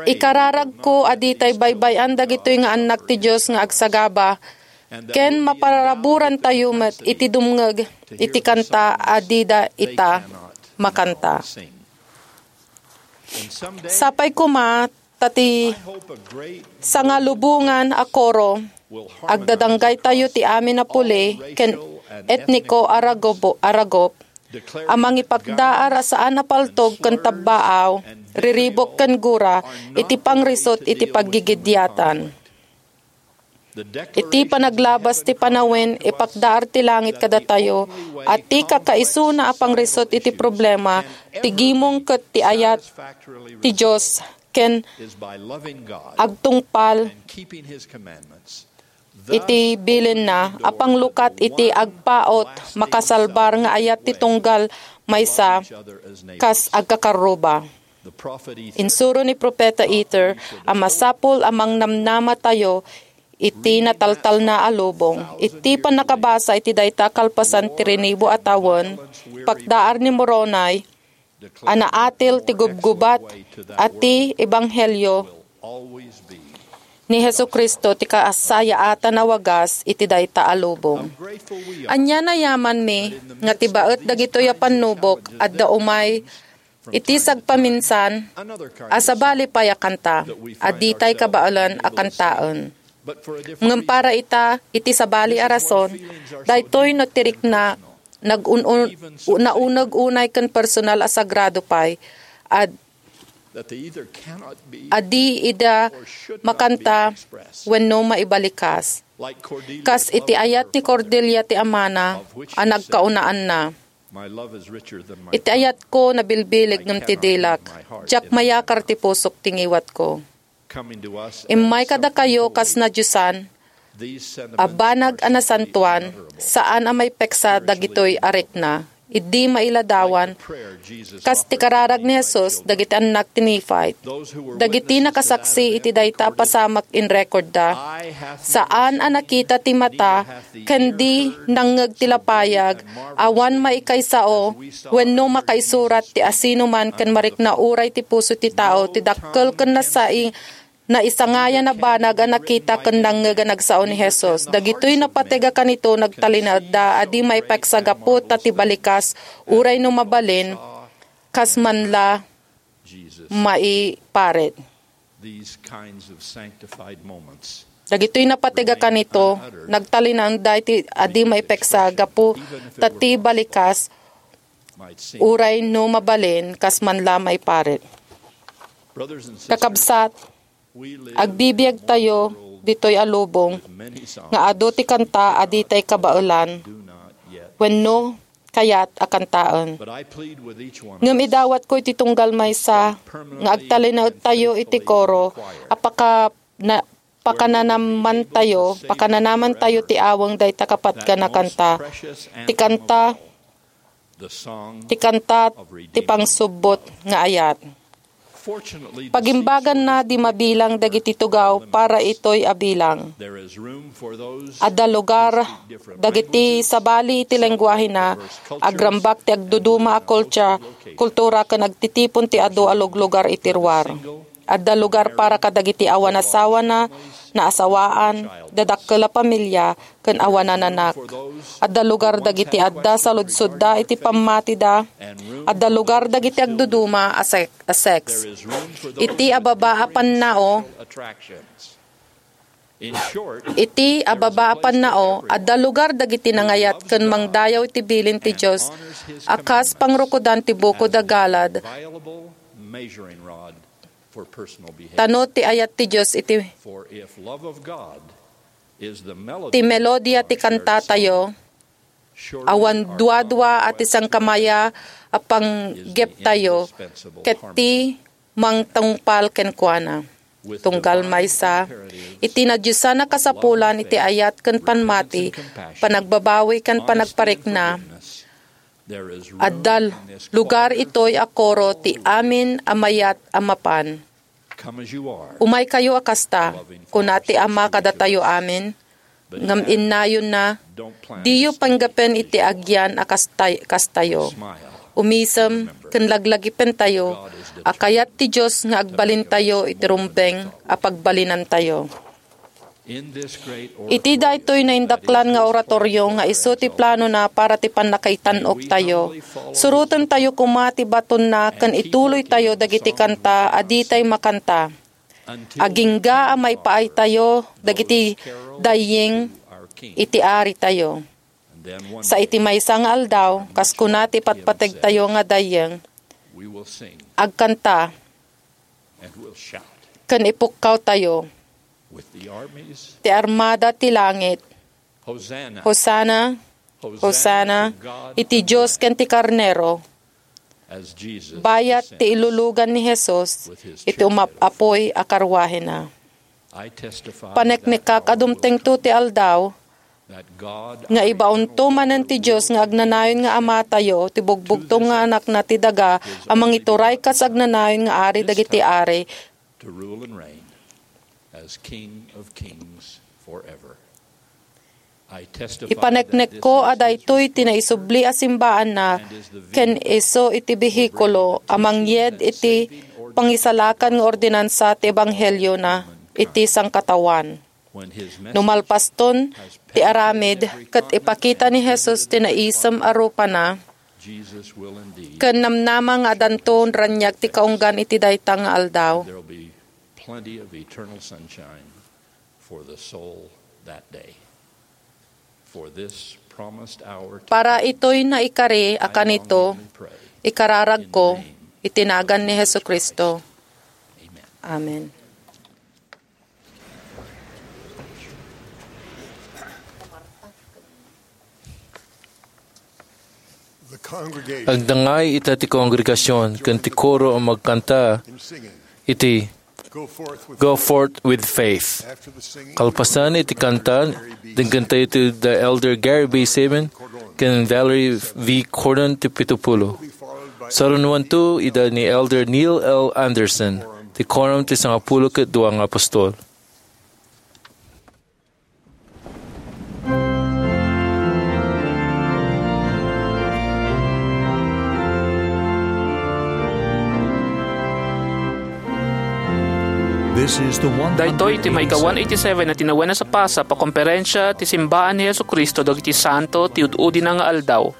Ikararagko a ditay baybay-an dagitoy nga annak ti Dios nga agsagaba, ken maparaburantayo met iti dumngeg iti kanta a dida ita makanta. Sapay koma ta ti sangalubongan a koro, agdadanggaytayo ti amin a puli ken etniko a ragobo-, a ragop, a mangipakdaar a saan a paltog ken tabbaaw, riribuk ken gura iti pangrisut iti paggigidiatan. Iti panaglabas ti panawen, ipakdaar ti langit kadatayo, a ti kakaisuna a pangrisut iti problema, ti gimong ket ti ayat ti Dios ken agtungpal iti bilinna a panglukat iti agpaut makasalbar nga ayat ti tunggal maysa kas agkakarruba. Insuro ni Profeta Ether a masapul a mangnamnamatayo iti nataltalna a lubong. Iti pannakabasa iti dayta kalpasan ti rinibu a tawen, pakdaar ni Moroni a naatil ti gubgubat a ti ebanghelio ni Jesu-Cristo ti kasayaatan a wagas iti dayta a lubong. Ania nayamanmi nga ti baet dagitoy a pannubok adda umay iti sagpaminsan a sabali pay a kanta a ditay kabaelan a kantaen. Ngem para ita, iti sabali a rason, daytoy no ti rikna, nag-un-, nauneg unay ken personal a sagrado pay, a, a di ida makanta wenno maibalikas. Kas iti ayat ni Cordelia ti amana a nagkaunaanna. Iti ayatko nabilbileg ngem ti dilak. Diak mayakar ti pusok ti ngiwatko. Immay kadakayo kas nadiosan a banag a nasantoan, saan a maipeksa dagitoy a rikna. Idi mailadawan, kas ti kararag ni Jesus dagiti annak ti Nephite, dagiti nakasaksi iti dayta a pasamak in rekordda, saan a nakita ti mata ken di nangngeg ti lapayag, awan maikaysao wenno makaisurat ti asinoman ken marikna uray ti puso ti tao ti dakkel ken nasai-, naisangayan a banag a nakita ken nangngeg a nagsao ni Jesus. Dagitoy napateg a kanito nagtalinaedda a di maipeksa gapu ta ti balikas uray no mabalin kas man la maiparit. These kinds of sanctified moments Dagitoy napateg a kanito, nagtalinaedda iti a di maipeksa gapu ta ti balikas might seem uray no mabalin kas man la maiparit. Brothers and sisters, Kakabsat, we live agbibiagtayo ditoy a lubong nga adu ti kanta a ditay kabaelan wenno kayat a kantaen. Ngem idawatko iti tunggal maysa nga agtalinaedtayo iti koro a paka-, na-, pakananamantayo, pakananamantayo ti aweng dayta kapatgan a kanta. Ti kanta, ti kanta ti pangsubbot nga ayat. Pagimbaganna, di mabilang dagiti tugaw para itoy a bilang. Adda lugar dagiti sabali iti lenguahena, agrambak ti agduduma a kultia-, kultura ken agtitipon ti adu a luglugar iti ruar. Adda lugar para kadagiti awan asawana, naasawaan, dadakkel a pamilia, ken awan naanak. Adda lugar dagiti adda saludsodda iti pammatida. Adda lugar dagiti agduduma a sek-, a sex. Iti ababa a pannao, iti ababa a pannao, adda lugar dagiti nangayat ken mangdayaw iti bilin ti Dios a kas pangrukodan ti bukod a galad. Tano ti ayat ti Dios iti ti melodia ti kantatayo, awan duadua a ti sangkamaya a panggeptayo ket ti mangtungpal kenkuana. Tunggal maysa, iti nadiosan a kasapulan iti ayat ken pammati, panagbabawi ken panagparikna, adda lugar itoy a koro ti amin a mayat a mapan. Umaykayo a kasta, kuna ti Ama kadatayo amin, ngem innayonna, diyo panggapen iti agian a kastay-, kastayo. Umisem ken laglagipentayo a kayat ti Dios nga agbalintayo iti rumbeng a pagbalinantayo. Iti daytoy naindaklan nga oratorio nga isu ti planona para ti pannakaitan-oktayo, surotentayo koma ti batonna ken ituloytayo dagiti kanta a ditay makanta. Agingga a maipaaytayo dagiti daying iti aritayo. Sa iti maysa nga aldaw, kas kuna ti patpategtayo nga dayeng, agkanta ken ipukkawtayo ti armada ti langit, "Hosanna, Hosanna iti Dios ken ti Karnero. Bayat ti ilulugan ni Jesus iti umap-apoy a karruahena. Paneknekak a dumtengto ti aldaw nga ibaonto manen ti Dios nga agnanayon nga Amatayo, ti bugbugtong nga Anakna ti daga a mangituray kas agnanayon nga Ari dagiti ari, to rule and reign as King of Kings forever. I testify that this Ipaneknekko a is his daytoy ti naisubli a simbaanna ken isu iti behikulo a mangyed iti pangisalakan nga ordinansa ti ebangheliona iti sangkataoan. No malpaston ti aramid ket ipakita ni Jesus ti naisem a rupana, ken namnama nga adanto raniag ti kaunggan iti dayta nga aldaw. There'll be plenty of eternal sunshine for the soul that day. For this promised hour to Para itoy naikari a kanito, ikararagko iti nagan ni Jesu-Cristo. Amen. Agdangay ita ti kongregasion ken ti koro a magkanta iti Go Forth with Faith. Kalpasan iti kanta, denggen tayo ti da Elder Gary B. Saban ken Valerie V. Cordon ti pitupulo. Sarunuanto ida ni Elder Neil L. Andersen, ti Quorum ti Sangapulo ket Dua nga Apostol. Daytoy ti maika one eighty-seven a tinawen a sapasap a komperensia ti Simbaan ni Jesu-Cristo dagiti Santo ti Ud-udina nga Aldaw.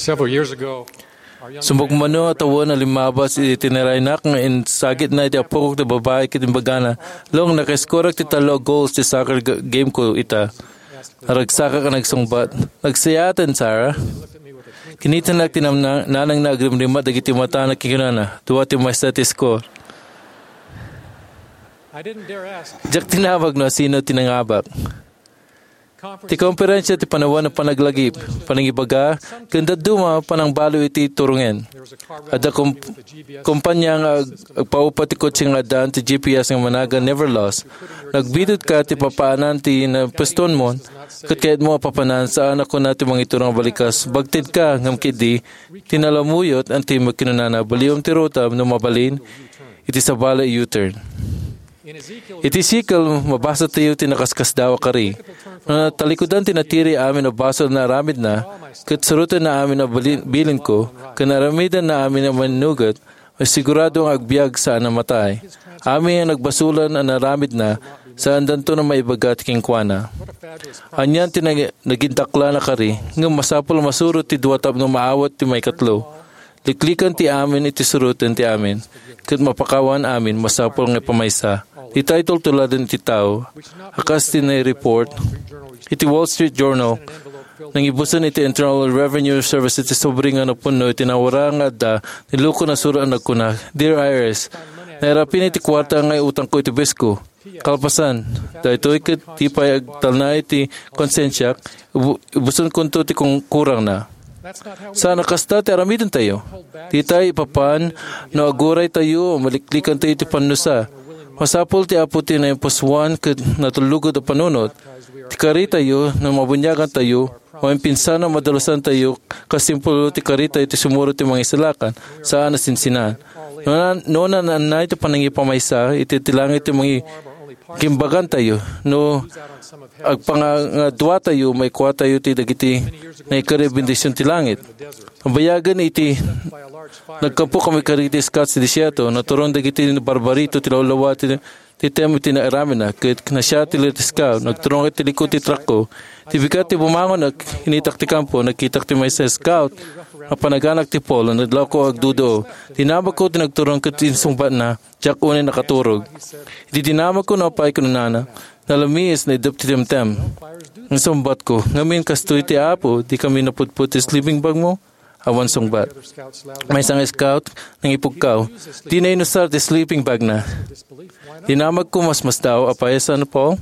Several years ago, Sumbong mano a tawen a limmabas iti tiniraynak nga insagitna iti apokok ti babai ket imbagana, "Long, naka-scoreak ti tallo a goals ti soccer ga-, game ko ita." Naragsakak a nagsungbat, "Nagsayaten, Sarah." Kinitanak ti namna-, nanangna agrimrimmat dagiti matana ket kinunana, "Dua ti maysa ti score." Diak tinawag no sino ti nangabak. Ti komperensia ti panawen a panaglagip, panangibaga, ken dadduma panangbaliw iti turongen. Adda kom-, kompanya nga ag-, agpaupa ti kotse nga addaan ti G P S nga managan Never Lost. Nagbitud ka ti papaanan ti napwestoanmon, ket kayatmo a papanan, saan a kuna ti mangiturong a balikas. Bagted ka, ngem ketdi, ti nalamuyot, anti kinunana, baliwem ti ruta no mabalin, iti sabali U-turn. Iti Ezekiel, mabasa tayo ti nakaskasdaaw a kari. No natalikudan ti natiri amin a basol nga aramidna, ket surotenna amin a bali-, bilinko, ken aramidenna amin a mannugot, sigurado nga agbiag saan a matay. Amin a nagbasolan a aramidna, saandanto a maibaga ti kenkuana. Anian ti nag-, nagindaklan a kari, ngem masapul a masurot ti dua tapno maawat ti maikatlo. Liklikan ti amin iti suroten ti amin, ket mapakawan amin masapul nga ipamaysa. Dita tultuladen ti tao, a kas ti nai-report iti Wall Street Journal, nangibusen iti Internal Revenue Service iti sobre nga napunno iti nawara nga adda, ni Luko nasuro a nagkuna, "Dear I R S, nairapin iti kuarta nga utangko iti buwis ko. Kalpasan, daytoy ket di pay agtalna iti konsensiak, ibu-, ibusenkonto ti kung-, kurangna." Saan a kasta ti aramidentayo. Dita ipapan no aguray tayo, maliklikan tayo ti pannusa. Masapul ti Apo ti naimpusuan ket natulugod a panunot. Ti karitayo, no mabuniagan tayo, maimpinsana, madalusan tayo, kas ti pulo ti karitayo ti sumuro ti mangisalakan, saan a sinsinan. No na-, no nananay ti panangipamaysa, iti ti langit ti mangi-, kimbagan tayo. No agpangadua tayo, maikua tayo ti dagiti naikari bendision ti langit. Nabayagen iti nagkapo kami kadagiti scouts ti desierto, naturon dagiti barbarito ti lawlawa ti, ti tem iti naaramidna, ket nasiatilek ti scout, nagturong iti likod ti truckko. Ti bigat ti bumangon, ag-, initak ti kampo, nagkitak ti maysa a scout, a panaganak ti pole, nadlawko agduduo. Dinamagko ti nagturong ket insungbatna, "Diak unay nakaturog." Iti dinamagko no apay, kinunana, "Nalamiis, naiddep ti temtem." Insungbatko, "Ngamin kastoy ti Apo, di kami napudpod ti sleeping bag mo?" Awan sungbat. Maysa nga scout, nangipugkaw, dina inusar ti sleeping bag na. Dinamagko, "Masmasdaaw apay a San Paul?"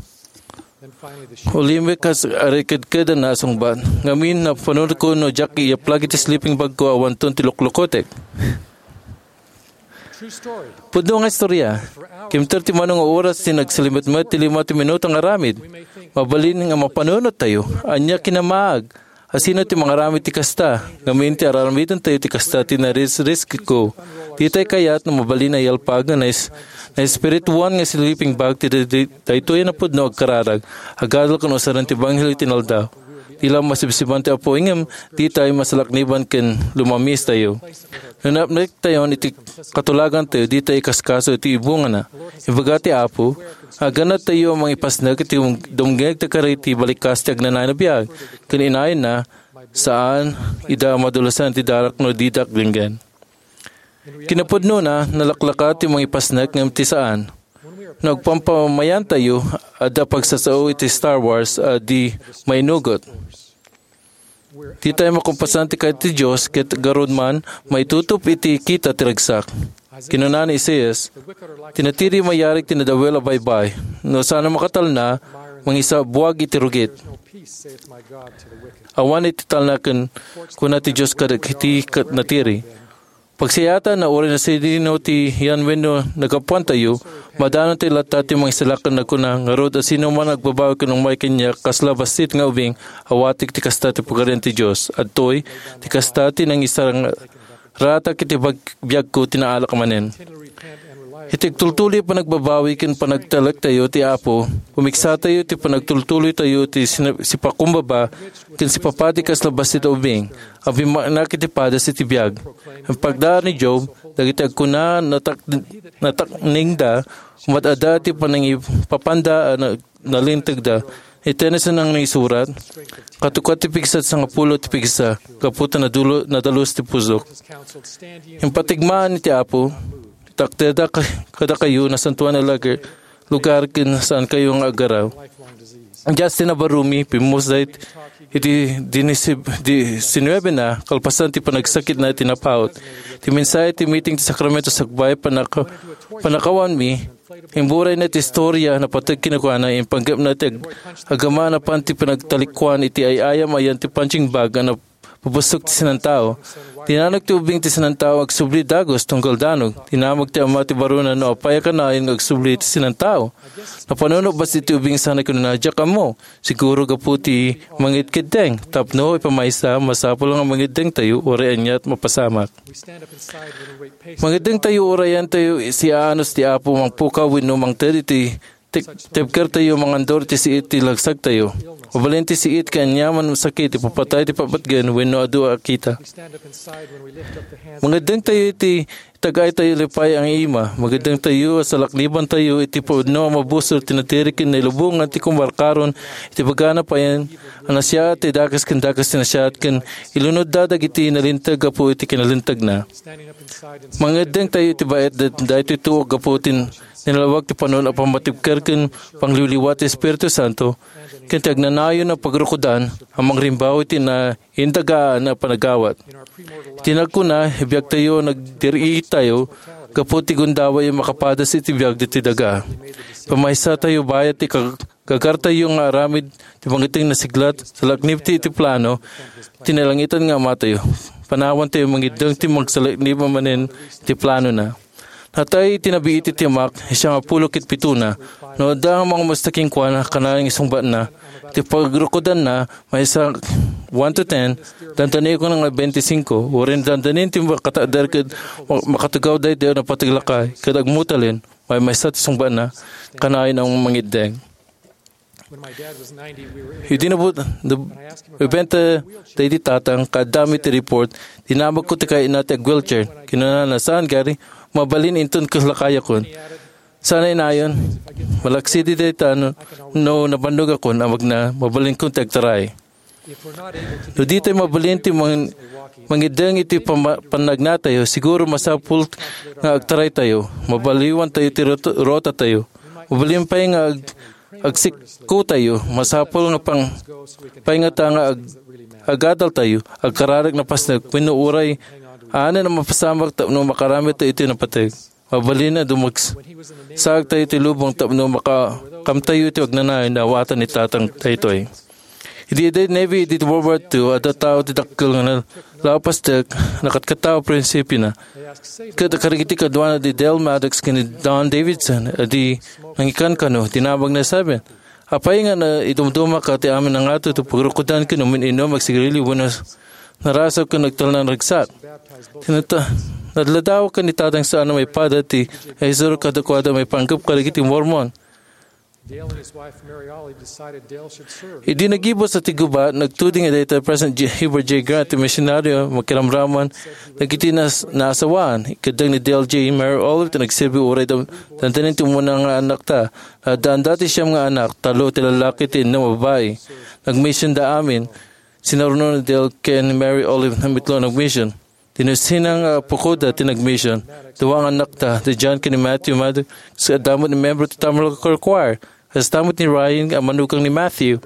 Ulimik kas arikedked a nasungbat. Ngamin, napanunotko no diak iyaplag iti sleeping bag ko, awanton ti luklukotek. Pudno nga istorya. Kimter ti mano nga oras ti nagsalimetmet ti lima ti minuto nga aramid. Mabalin nga mapanunot tayo. Ania kinamaag? Asino ti mangaramid ti kasta? Ngamin ti araramiden tayo ti kasta ti narisriskko. Ditay kayat no mabalin a iyalpag nga nais-, naespirituan nga sleeping bag ti, ti, ti, daytoy a napudno agkararag. Agadal ken usaren ti ebanghelio ti inaldaw. Di la masibsiban ti Apo, ngem ditay masalakniban ken lumamiis tayo. No napnektayon iti katulagan tayo, ditay ikaskaso iti ibungana. Ibaga ti Apo, agannad tayo a mangipasnek iti um-, dumngeg ta kari ti balikas ti agnanayon a biag, ken inayonna, saan ida a madulusan ti darak no didak denggen. Kinapudnona, nalaklaka ti mangipasnek ngem ti saan. No agpampamayan tayo, adda pagsasao iti Star Wars a di mainugot. Di tayo makumpasan ti kayat ti Dios, ket garud man, maitutup iti kita ti ragsak. Kinuna ni Isaias, "Ti natiri mayarig ti nadawel a baybay. No saan a makatalna, mangisabuag iti rugit. Awan iti talna ken kuna ti Dios kadagiti kat-, natiri." Pagsayaatan, uray no sadino ti yan wenno naggapuantayo, madanontayo latta ti mangisalakan nagkuna, "Ngarud, asino man agbabawi ken umay kaniak, kasla bassit nga ubing, awatek ti kasta ti Pagarian ti Dios. Adtoy, ti kasta ti nangisarang-, ratak iti bag-, biagko ti naalak manen." Iti agtultuloy a panagbabawi ken panagtalektayo ti Apo, pumiksatayo ti panagtultuloytayo ti sina-, sipakumbaba ken sipapadi kasla bassit a ubing a bimmaknak iti padas iti biag. Iti pagdaan ni Job, dagiti agkuna natak-, natakningda, umat-ada ti panangipapanda a na-, nalintegda. Ni Tennyson a naisurat, "Katukot ti pigsa ti sangapulo ti pigsa, gapu ta nadulo-, nadalus ti pusok." Impatigmaan iti Apo, "Takderda ka-, kadakayo, nasantoan a lager-, lugar ken saankayo nga aggaraw." Justin Navarumi, pimmusda it-, iti dinisib-, di-, sinuebe na, kalpasan ti panagsakitna iti napaut. Ti mensahe ti meeting ti sakramento sakbay, panaka-, panakawanmi, imburay na ti istorya, napateg kenkuana, impanggepna ti ag-, agama napan ti panagtalikuan iti ay-ayam ayan ti punching bag, a nap-, pabusok ti sinantao. Dinamag ti ubing ti sinantao agsubli dagus tunggal danag. Dinamag ti ama ti baruna no apay a kanayon nga agsubli ti sinantao. Napanunot bas iti ubing sana kinuna, "Diak ammo." Siguro gapu ti mangitkiddeng. Tapno ipamaysa, masapul nga mangiddeng tayo, uray aniat mapasamak. Mangiddeng tayo, uray tayo siaanus ti Apo, mangpukaw wenno mangted iti Ti-, tibker tayo, mangandur ti siit ti lagsag tayo. Mabalin ti siit ken aniaman a sakit, ipapatay ti papatgen wenno adu a kita. Mangiddeng tayo iti itag-ay tayo lipay nga ima. Mangiddeng tayo a salakniban tayo iti pudno a mabusor ti natiri ken nailubongan ti kumarkaron iti bagana payen a nasiaat ti dakes ken dakes ti nasiaat ken ilunodda dagiti nalinteg gapu iti kinalintagna. Mangiddeng tayo iti baet da-, daytoy tuok gapu ti nalawag ti panon a pammatibker ken pangliwliwa ti Espiritu Santo, ken ti agnanayon a pagrukodan a mangrimbaw iti naindagaan a panagawat. Iti nagkuna, ibiagtayo, nagdiri tayo gapu ti gundaway a makapadas iti biag ditoy daga. Pamaysa tayo bayat ti kag-, gagartayo nga aramid ti mangiddeng nasiglat, salaknib ti, ti plano ti nalangitan nga Amatayo. Panawan tayo mangiddeng ti magsalaknib a manen ti planona. Natay ti nabiit iti amak, siya nga pulo ket pitona. No adda nga mangamusta kenkuana, kanayon nga isungbatna. Iti pagrukodanna, maysa one to ten, dandanekon nga twenty-five. Uray dandanen ti makatagder ket ma-, makatugaw daytoy a napateg lakay, ket agmutalen, maymaysa ti sungbatna, kanayon a mangiddeng. Idi nabut-, nab-, ibenta daydi tatang, kaadda mi ti report, dinamagko ti kayatna ti ag-wheelchair. Kinunana, "Saan, Gary? Mabalin inton kas lakayakon." Sana inayon, malaksidi dayta no, no nabannogakon a magna, mabalinkon ti agtaray. No ditay mabalin ti mang-, mangiddeng iti pama-, pannagnatayo, siguro masapul nga agtaraytayo. Mabaliwan tayo ti rot-, rotatayo. Mabalin pay nga ag-, agsikko tayo. Masapul nga pang-, pay nga ta nga ag-, agadal tayo. Agkararag napasnek, wenno uray, aanen a mapasamak tapno makaramid tayo iti napateg. Mabalin a dumagsaag tayo iti lubong tapno makakamtayo iti agnanayon a awatan ni Tatang daytoy. Idi, idi Navy, idi World War Two, adda tao ti dakkel nga nalapas dek, nakatkattaw a prinsipiona. Ket kadagiti kaduana di Dale Maddox ken ni Don Davidson, a di nangikankano, dinamagna, "Saben, apay nga na-, idumdumaka ti amin a ngato ti pagrukodan ken umin-inum, agsigarilio, wenno narasaw ken agtalna naragsak?" Tinata-, nadladawakan ni Tatang saan a maipada ti naisuro kadakuada maipanggep kadagiti Mormon. Dale and his wife Mary Olive decided Dale should serve. Idi nagibus a ti gubat, nagtuding dayta President J-, Heber J. Grant ti misionario, makiramraman dagiti nas-, naasawaan. Ikaddeng ni Dale J. Mary Olive ti nagserbi uray dam-, dandanin ti umuna nga anakta. Addaanda ti siam nga anak, tallo ti lalaki, ti innem a babai. Nagmisionda amin. Sinaruno ni Dale ken Mary Olive nga mitlo nagmision. Ti nusina nga apukoda ti nagmision. Dua nga annakta, ni John ken ni Matthew Maddox, adda met ni membro ti Tabernacle Choir. Kasta met ni Ryan a manugang ni Matthew.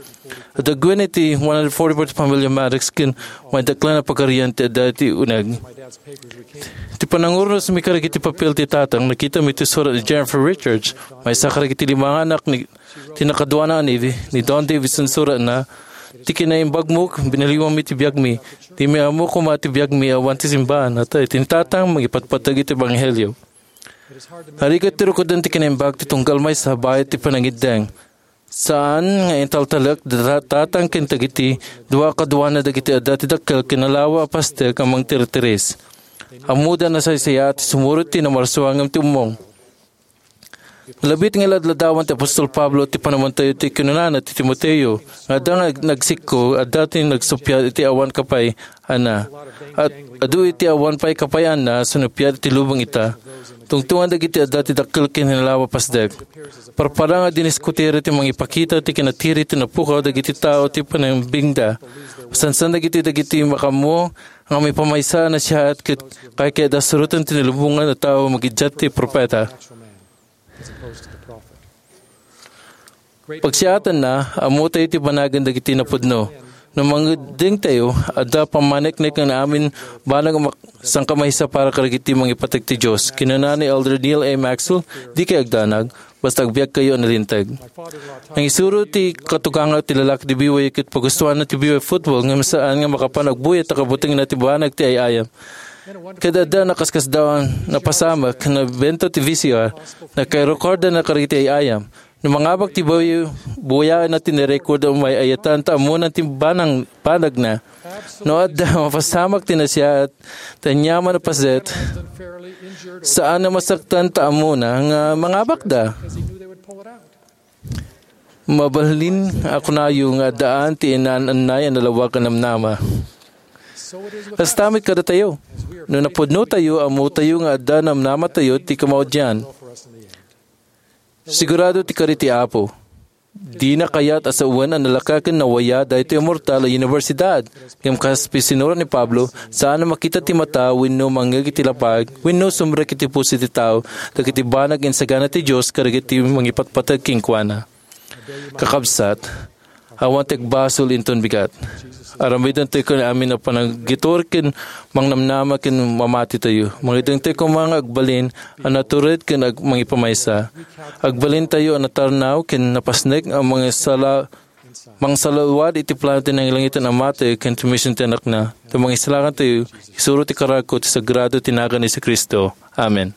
Adda gwen iti one hundred forty-four ti pamilya Maddox ken maidaklan a pagarian ti adda iti uneg. Ti pananguros mi kadagiti papel ti tatang, nakita mi ti surat ni Jennifer Richards, maysa kadagiti lima nga anak ni, ti nakaduana a ni, ni Don Davidson. Suratna, "Ti kinaimbagmo, binaliwanmi ti biagmi. Dimi ammo koma ti biagmi awan ti simbahan." Natay, ti tatang, mangipatpateg iti ebanghelio. Narigat ti rukodan ti kinaimbag ti tunggal maysa bayat ti panangiddeng. Saan nga intaltalek da-, tatang ken dagiti dua kaduana dagiti adda ti dakkel ken nalawa a pastek a mangtirtiris. Ammoda a nasaysayaat ti sumurot ti namarsua ngem ti ummong. Nalabit nga ladladawan ti apostol Pablo ti panawantayo ti kinunana ti Timoteo, nga adda nga nagsikko, adda ti nagsuppiat iti awan kapay-anna. At adu iti awan pay kapay-anna a sinuppiat iti lubong ita. Tungtongan dagiti adda ti dakkel ken nalawa a pasdek. Parparang a diniskutira ti mangipakita ti kinatiri ti napukaw dagiti tao ti panangbingda. Masansan dagiti, dagiti makaammo nga maipamaysa a nasiaat ket kayatda suroten ti nalubongan a tao, makiddiat ti profeta. Pagsiatanna, ammotayo ti banagen dagiti napudno. No mangngegdengtayo, adda pammaneknek nga amin banag a mak-, sangkamaisa para kadagiti mangipateg ti Dios. Kinuna ni Elder Neal A. Maxwell, "Dikay agdanag, basta agbiagkayo a nalinteg." Nangisuro ti katugangak ti lalaki ti B Y U ket pagustuanna ti B Y U football ngem saan nga makapan agbuyat ta kabutingna ti banag ti ay-ayam. Ket adda nakaskasdaawan, napasamak, nabento ti V C R, nakairekorda na kadagiti ay-ayam. No mangabak ti buy-, buyaenna ti nirecord, umay-ayatan ta ammona ti banang-, banagna. No adda mapasamak ti nasiaat, ta aniaman a paset, saan a masaktan ta ammona nga mangabakda. Mabalin a kunayo nga addaan ti inaan-annay a nalawag a namnama. Kasta met kadatayo. No napudnotayo, ammotayo nga adda namnamatayo ti kamaudian. Sigurado ti kari ti Apo. Dina kayat a sawen a nalaka ken nawaya daytoy a mortal a universidad. Ngem kas pisinurat ni Pablo, saan a makita ti mata wenno mangngeg iti lapag wenno sumrek iti puso ti tao dagiti banag insagana ti Dios kadagiti mangipatpateg kenkuana. Kakabsat, awan ti agbasol inton bigat. Aramidentayo ken amin a panaggitor ken mangnamnama ken mamatitayo. Mangngegdengtayo koma nga agbalin a natured ken ag-, mangipamaysa. Agbalintayo a natarnaw ken napasnek a mangisala-, mangsalawad iti plano ti nangilangitan a Amatayo ken ti mision ti Anakna. Ta mangisalakantayo, isuro ti kararagko ti sagrado ti nagan ni Jesu-Cristo. Amen.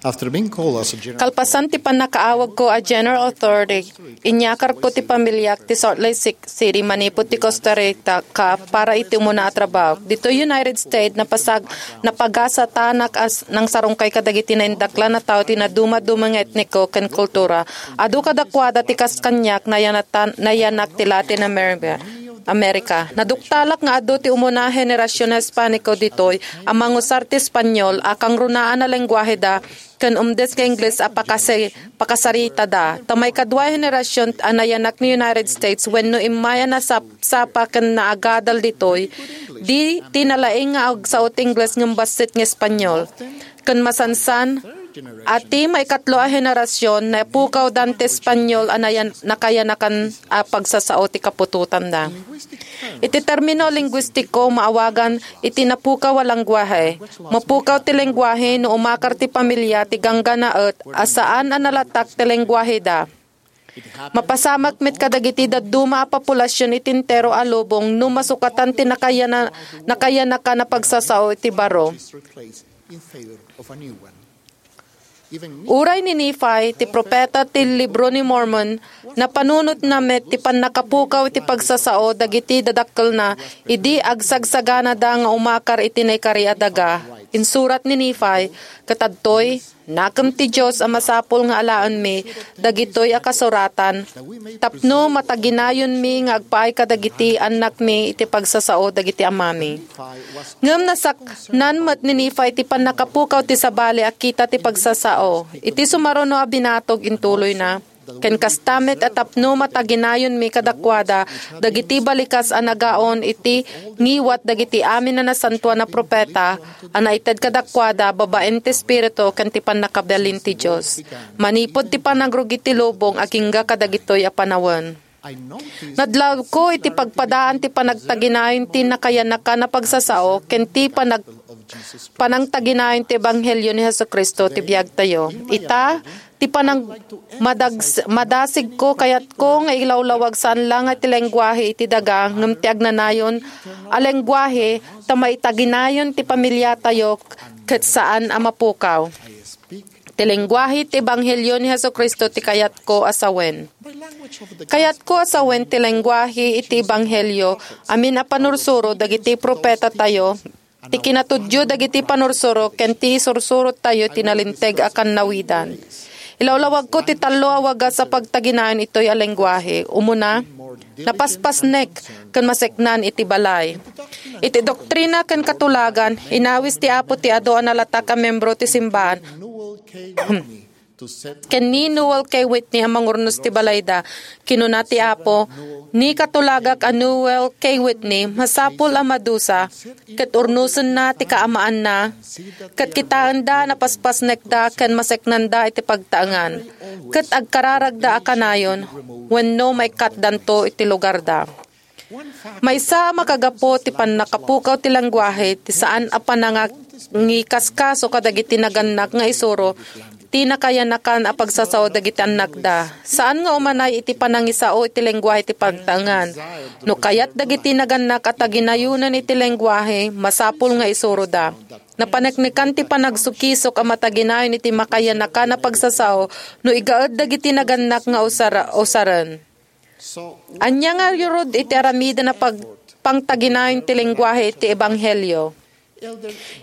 After being called as a general Kalpasan ti pannakaawagko a General Authority, inyakarko ti pamiliak ti Salt Lake Ci-, City manipud ti Costa Rica para iti umuna a trabaho. Ditoy United States, napasag-, napagasatanak a s-, nangsarungkay kadagiti naindaklan a tao ti nadumaduma nga etniko ken kultura. Adu kadakuada ti kas kaniak nayanatan-, nayanak ti Latin America. America. Naduktalak nga adu ti umuna a henerasion a Hispaniko ditoy a mangusar ti Espanyol a kangrunaan a lenguaheda ken umdes nga Ingles a pakasi-, pakasaritada. Ta maikadua a henerasion a nayanak ni United States wenno immay a nasapsapa ken naagadal ditoy, di ti nalaing nga agsao ti Ingles ngem bassit nga Espanyol. Ken masansan, a ti maikatlo a henerasion, napukawdan ti Espanyol a nayan-, nakayanakan a pagsasao ti kaputotanda. Iti termino linguistiko, maawagan iti napukaw a lenguahe. Mapukaw ti lenguahe no umakar ti pamilia ti gangganaet a saan a nalatak ti lenguaheda. Mapasamak met kadagiti dadduma a populasion iti entero a lubong no masukatan ti nakayana-, nakayanakan a pagsasao iti baro. Uray ni Nephi, ti propeta ti Libro ni Mormon, napanunotna met ti pannakapukaw iti pagsasao dagiti dadakkelna idi agsagsaganada nga umakar iti naikari a daga. Insurat ni Nephi, ket adtoy, nakem ti Dios a masapul nga alaenmi dagitoy a kasuratan, tapno mataginayonmi nga agpaay kadagiti annakmi iti pagsasao dagiti amami. Ngem nasaknan met ni Nephi ti pannakapukaw ti sabali a kita ti pagsasao. Iti sumaruno a binatog intuloyna, ken kasta met a tapno mataginayonmi kadakuada dagiti balikas a nagaon iti ngiwat dagiti amin a nasantoan a propeta a naited kadakuada babaen ti Espiritu ken ti pannakabalin ti Dios. Manipud ti panagrugi ti lubong agingga kadagitoy a panawen. Nadlawko iti pagpadaan ti panagtaginayon ti nakayanakan a pagsasao ken ti panag-, panangtaginayon ti ebanghelio ni Jesu-Cristo ti biagtayo. Ita, ti panang-, madags-, madasigko, kayatko nga ilawlawag saan la nga ti lenguahe iti daga, ngem ti agnanayon a lenguahe ta maitaginayon ti pamiliatayo ket saan a mapukaw. Ti lenguahe ti ebanghelio ni Jesu-Cristo ti kayatko a sawen. Kayatko a sawen ti lenguahe iti ebanghelio, amin a panursuro dagiti propetatayo, ti kinatudyo dagiti panursuro ken ti isursurottayo ti nalinteg a kannawidan. Ilawlawagko ti tallo a wagas a pagtaginayon itoy a lenguahe. Umuna, napaspasnek ken maseknan iti balay. Iti doktrina ken katulagan, inawis ti Apo ti adu a nalatak a membro ti simbahan. ken ni Noel K. Whitney a mangurnos ti balayda. Kinuna ti Apo, "Ni katulagak a Noel K. Whitney, masapul a madusa, ket urnosenna ti kaamaanna, ket kitaenda a napaspasnekda ken maseknanda iti pagtaengan, ket agkararagda a kanayon wenno maikkatdanto iti lugarda." Maysa a makagapu ti pannakapukaw ti lengguahe ti saan a panangikaskaso kadagiti nagannak nga isuro ti nakayanakan a pagsasao dagiti annakda. Saan nga umanay iti panangisao iti lengguahe ti pagtaengan. No kayat dagiti nagannak a taginayonen iti lengguahe, masapul nga isuroda. Napaneknekan ti panagsukisok a mataginayon iti makayanakan a pagsasao no igaed dagiti nagannak nga usara-, usaren. Ania nga ngarud iti aramiden a pag-, pangtaginayon ti lengguahe iti ebanghelio?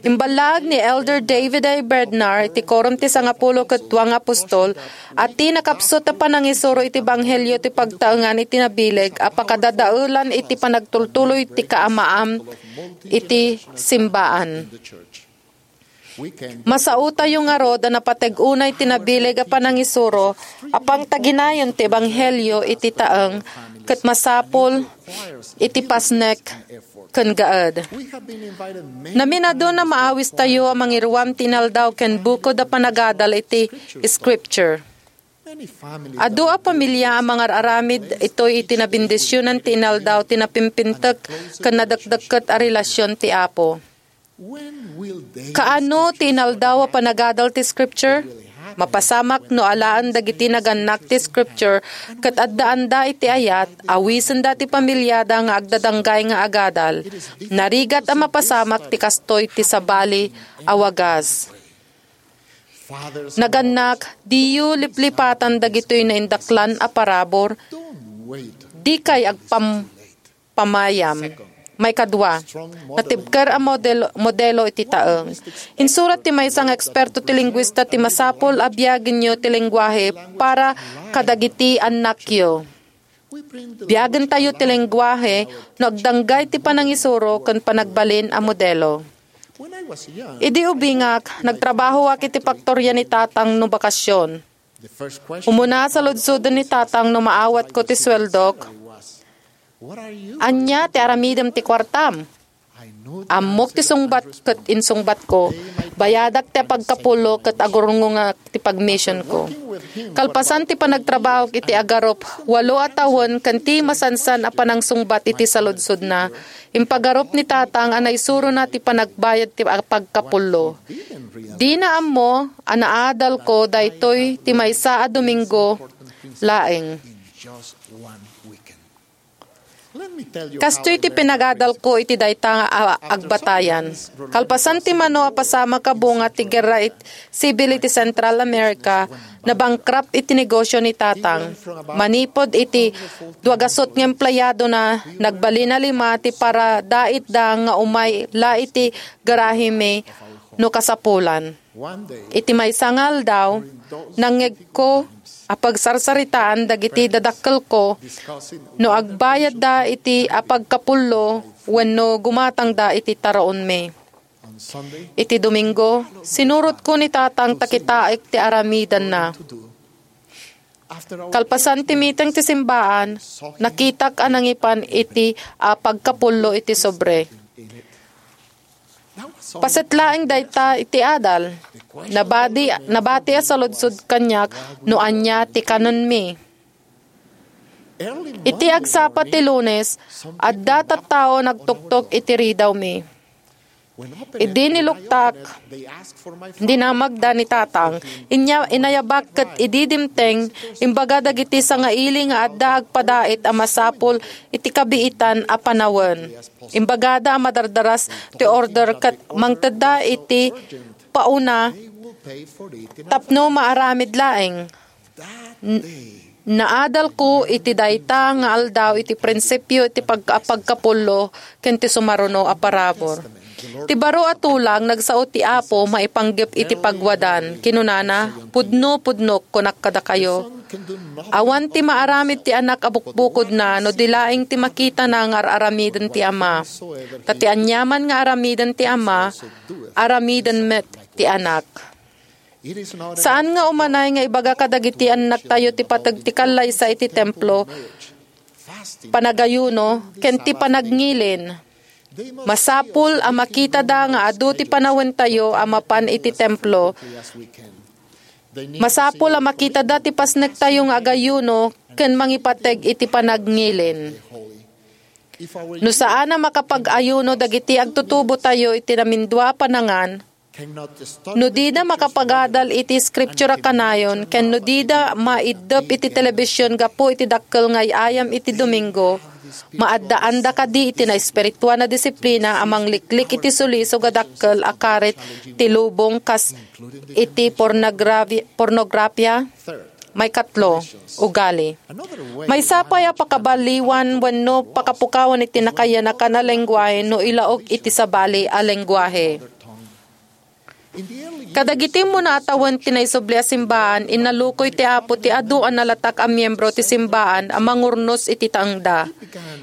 Imballaag ni Elder David A. Bednar iti Quorum ti Sangapulo ket Dua nga Apostol a ti nakapsut a panangisuro iti ebanghelio ti pagtaengan iti nabileg a pakadadaelan iti panagtultuloy ti kaamaam iti simbaan. Masaotayo ngarud a napateg unay ti nabileg a panangisuro a pangtaginayon ti ebanghelio iti taeng ket masapul iti pasnek ken gaed. Naminadun a maawistayo a mangiruam ti inaldaw ken bukod a panagadal iti Scripture. Adu a pamilia a mangar-aramid itoy iti nabendisionan ti inaldaw ti napimpintek ken nadekdekket a relasion ti Apo. Kaano ti inaldaw a panagadal ti Scripture? Mapasamak no alaen dagiti nagannak ti Scripture ket addaanda iti ayat, awisenda ti pamiliada nga agdadanggay nga agadal. Narigat a mapasamak ti kastoy ti sabali a wagas. Nagannak, diyo liplipatan dagitoy naindaklan a parabur. Dikay agpam-, pamayam. Maikadua, natibker a model-, modelo iti taeng. Insurat ti maysa nga eksperto ti lingguista ti masapul a biagenyo ti lengguahe para kadagiti annakyo. Biagentayo ti lengguahe no agdanggay ti panangisuro ken panagbalin a modelo. Idi ubingak, nagtrabahoak iti paktoria ni tatang no bakasion. Umuna a saludsoden ni tatang no maawatko ti sueldok, "Ania ti aramidem ti kuartam?" Ammok ti sungbat ket insungbatko, "Bayadak ti apagkapullo ket agurnongak ti pagmisionko." Kalpasan ti panagtrabahok iti agarup, walo a tawen ken ti masansan a panangsungbat iti saludsodna, impagarup ni tatang a naisurona ti panagbayad ti apagkapullo. Dina ammo a naadalko daytoy ti maysa a Domingo laeng. Kastoy ti pinagadalko iti dayta nga a-, agbatayan. Kalpasan ti mano a pasamak a bunga ti gerra it-, sibil iti Central America, nabankrupt iti negosio ni tatang. Manipud iti duagasut nga empleyadona, nagbalin a lima ti paradaitda nga umay la iti garahemi no kasapulan. Iti maysa nga aldaw, nangngegko a pagsarsaritaan dagiti dadakkelko no agbayadda iti apagkapullo wenno gumatangda iti taraonmi. Iti Domingo, sinurotko ni tatang ta kitaek ti aramidenna. Kalpasan ti miteng ti simbaan, nakitak a nangipan iti apagkapullo iti sobre. Paset laeng dayta iti adal. Nabadi-, nabati a saludsod kaniak no ania ti kanenmi. Iti agsapa ti Lunes, adda tattao nagtuktok iti ridawmi. Idi niluktak, dinamagda ni tatang. Inya-, inayabak ket idi dimteng, imbaga dagiti sangaili nga adda agpadait a masapul iti kabiitan a panawen. Imbagada a madardaras ti order ket mangtedda iti pauna tapno maaramid laeng. N-, naadalko iti dayta nga aldaw iti prinsipio iti pag-, pagkapullo ken ti sumaruno a parabur. Ti baro a tulang, nagsao ti Apo maipanggep iti pagwadan. Kinunana, "Pudno, pudnok, kunak kadakayo. Awan ti maaramid ti Anak a bukbukodna no di laeng ti makitana nga ar-aramiden ti Ama. Ta ti aniaman nga aramiden ti Ama, aramiden met ti Anak." Saan nga umanay nga ibaga kadagiti annaktayo ti pateg ti kallaysa iti templo, panagayuno, ken ti panagngilin. Masapul a makitada nga adu ti panawentayo a mapan iti templo. Masapul a makitada ti pasnektayo nga agayuno ken mangipateg iti panagngilin. No saan a makapag-ayuno dagiti agtutubotayo iti namindua a panangan, no dida makapagadal iti Scripture a kanayon ken no dida maiddep iti telebision gapu iti dakkel nga ay-ayam iti Domingo, maaddaanda kadi iti naespirituan a disiplina a mangliklik iti sulisog a dakkel a karit ti lubong kas iti pornografi-, pornografia? Maikatlo, ugali. Maysa pay a pakabaliwan wenno pakapukawan iti nakayanakan a lengguahe no ilaog iti sabali a lengguahe. Kadagiti immuna a tawen ti naisubli a simbaan, innalukoy ti Apo ti adu a nalatak a miembro ti simbaan a mangurnos iti taengda.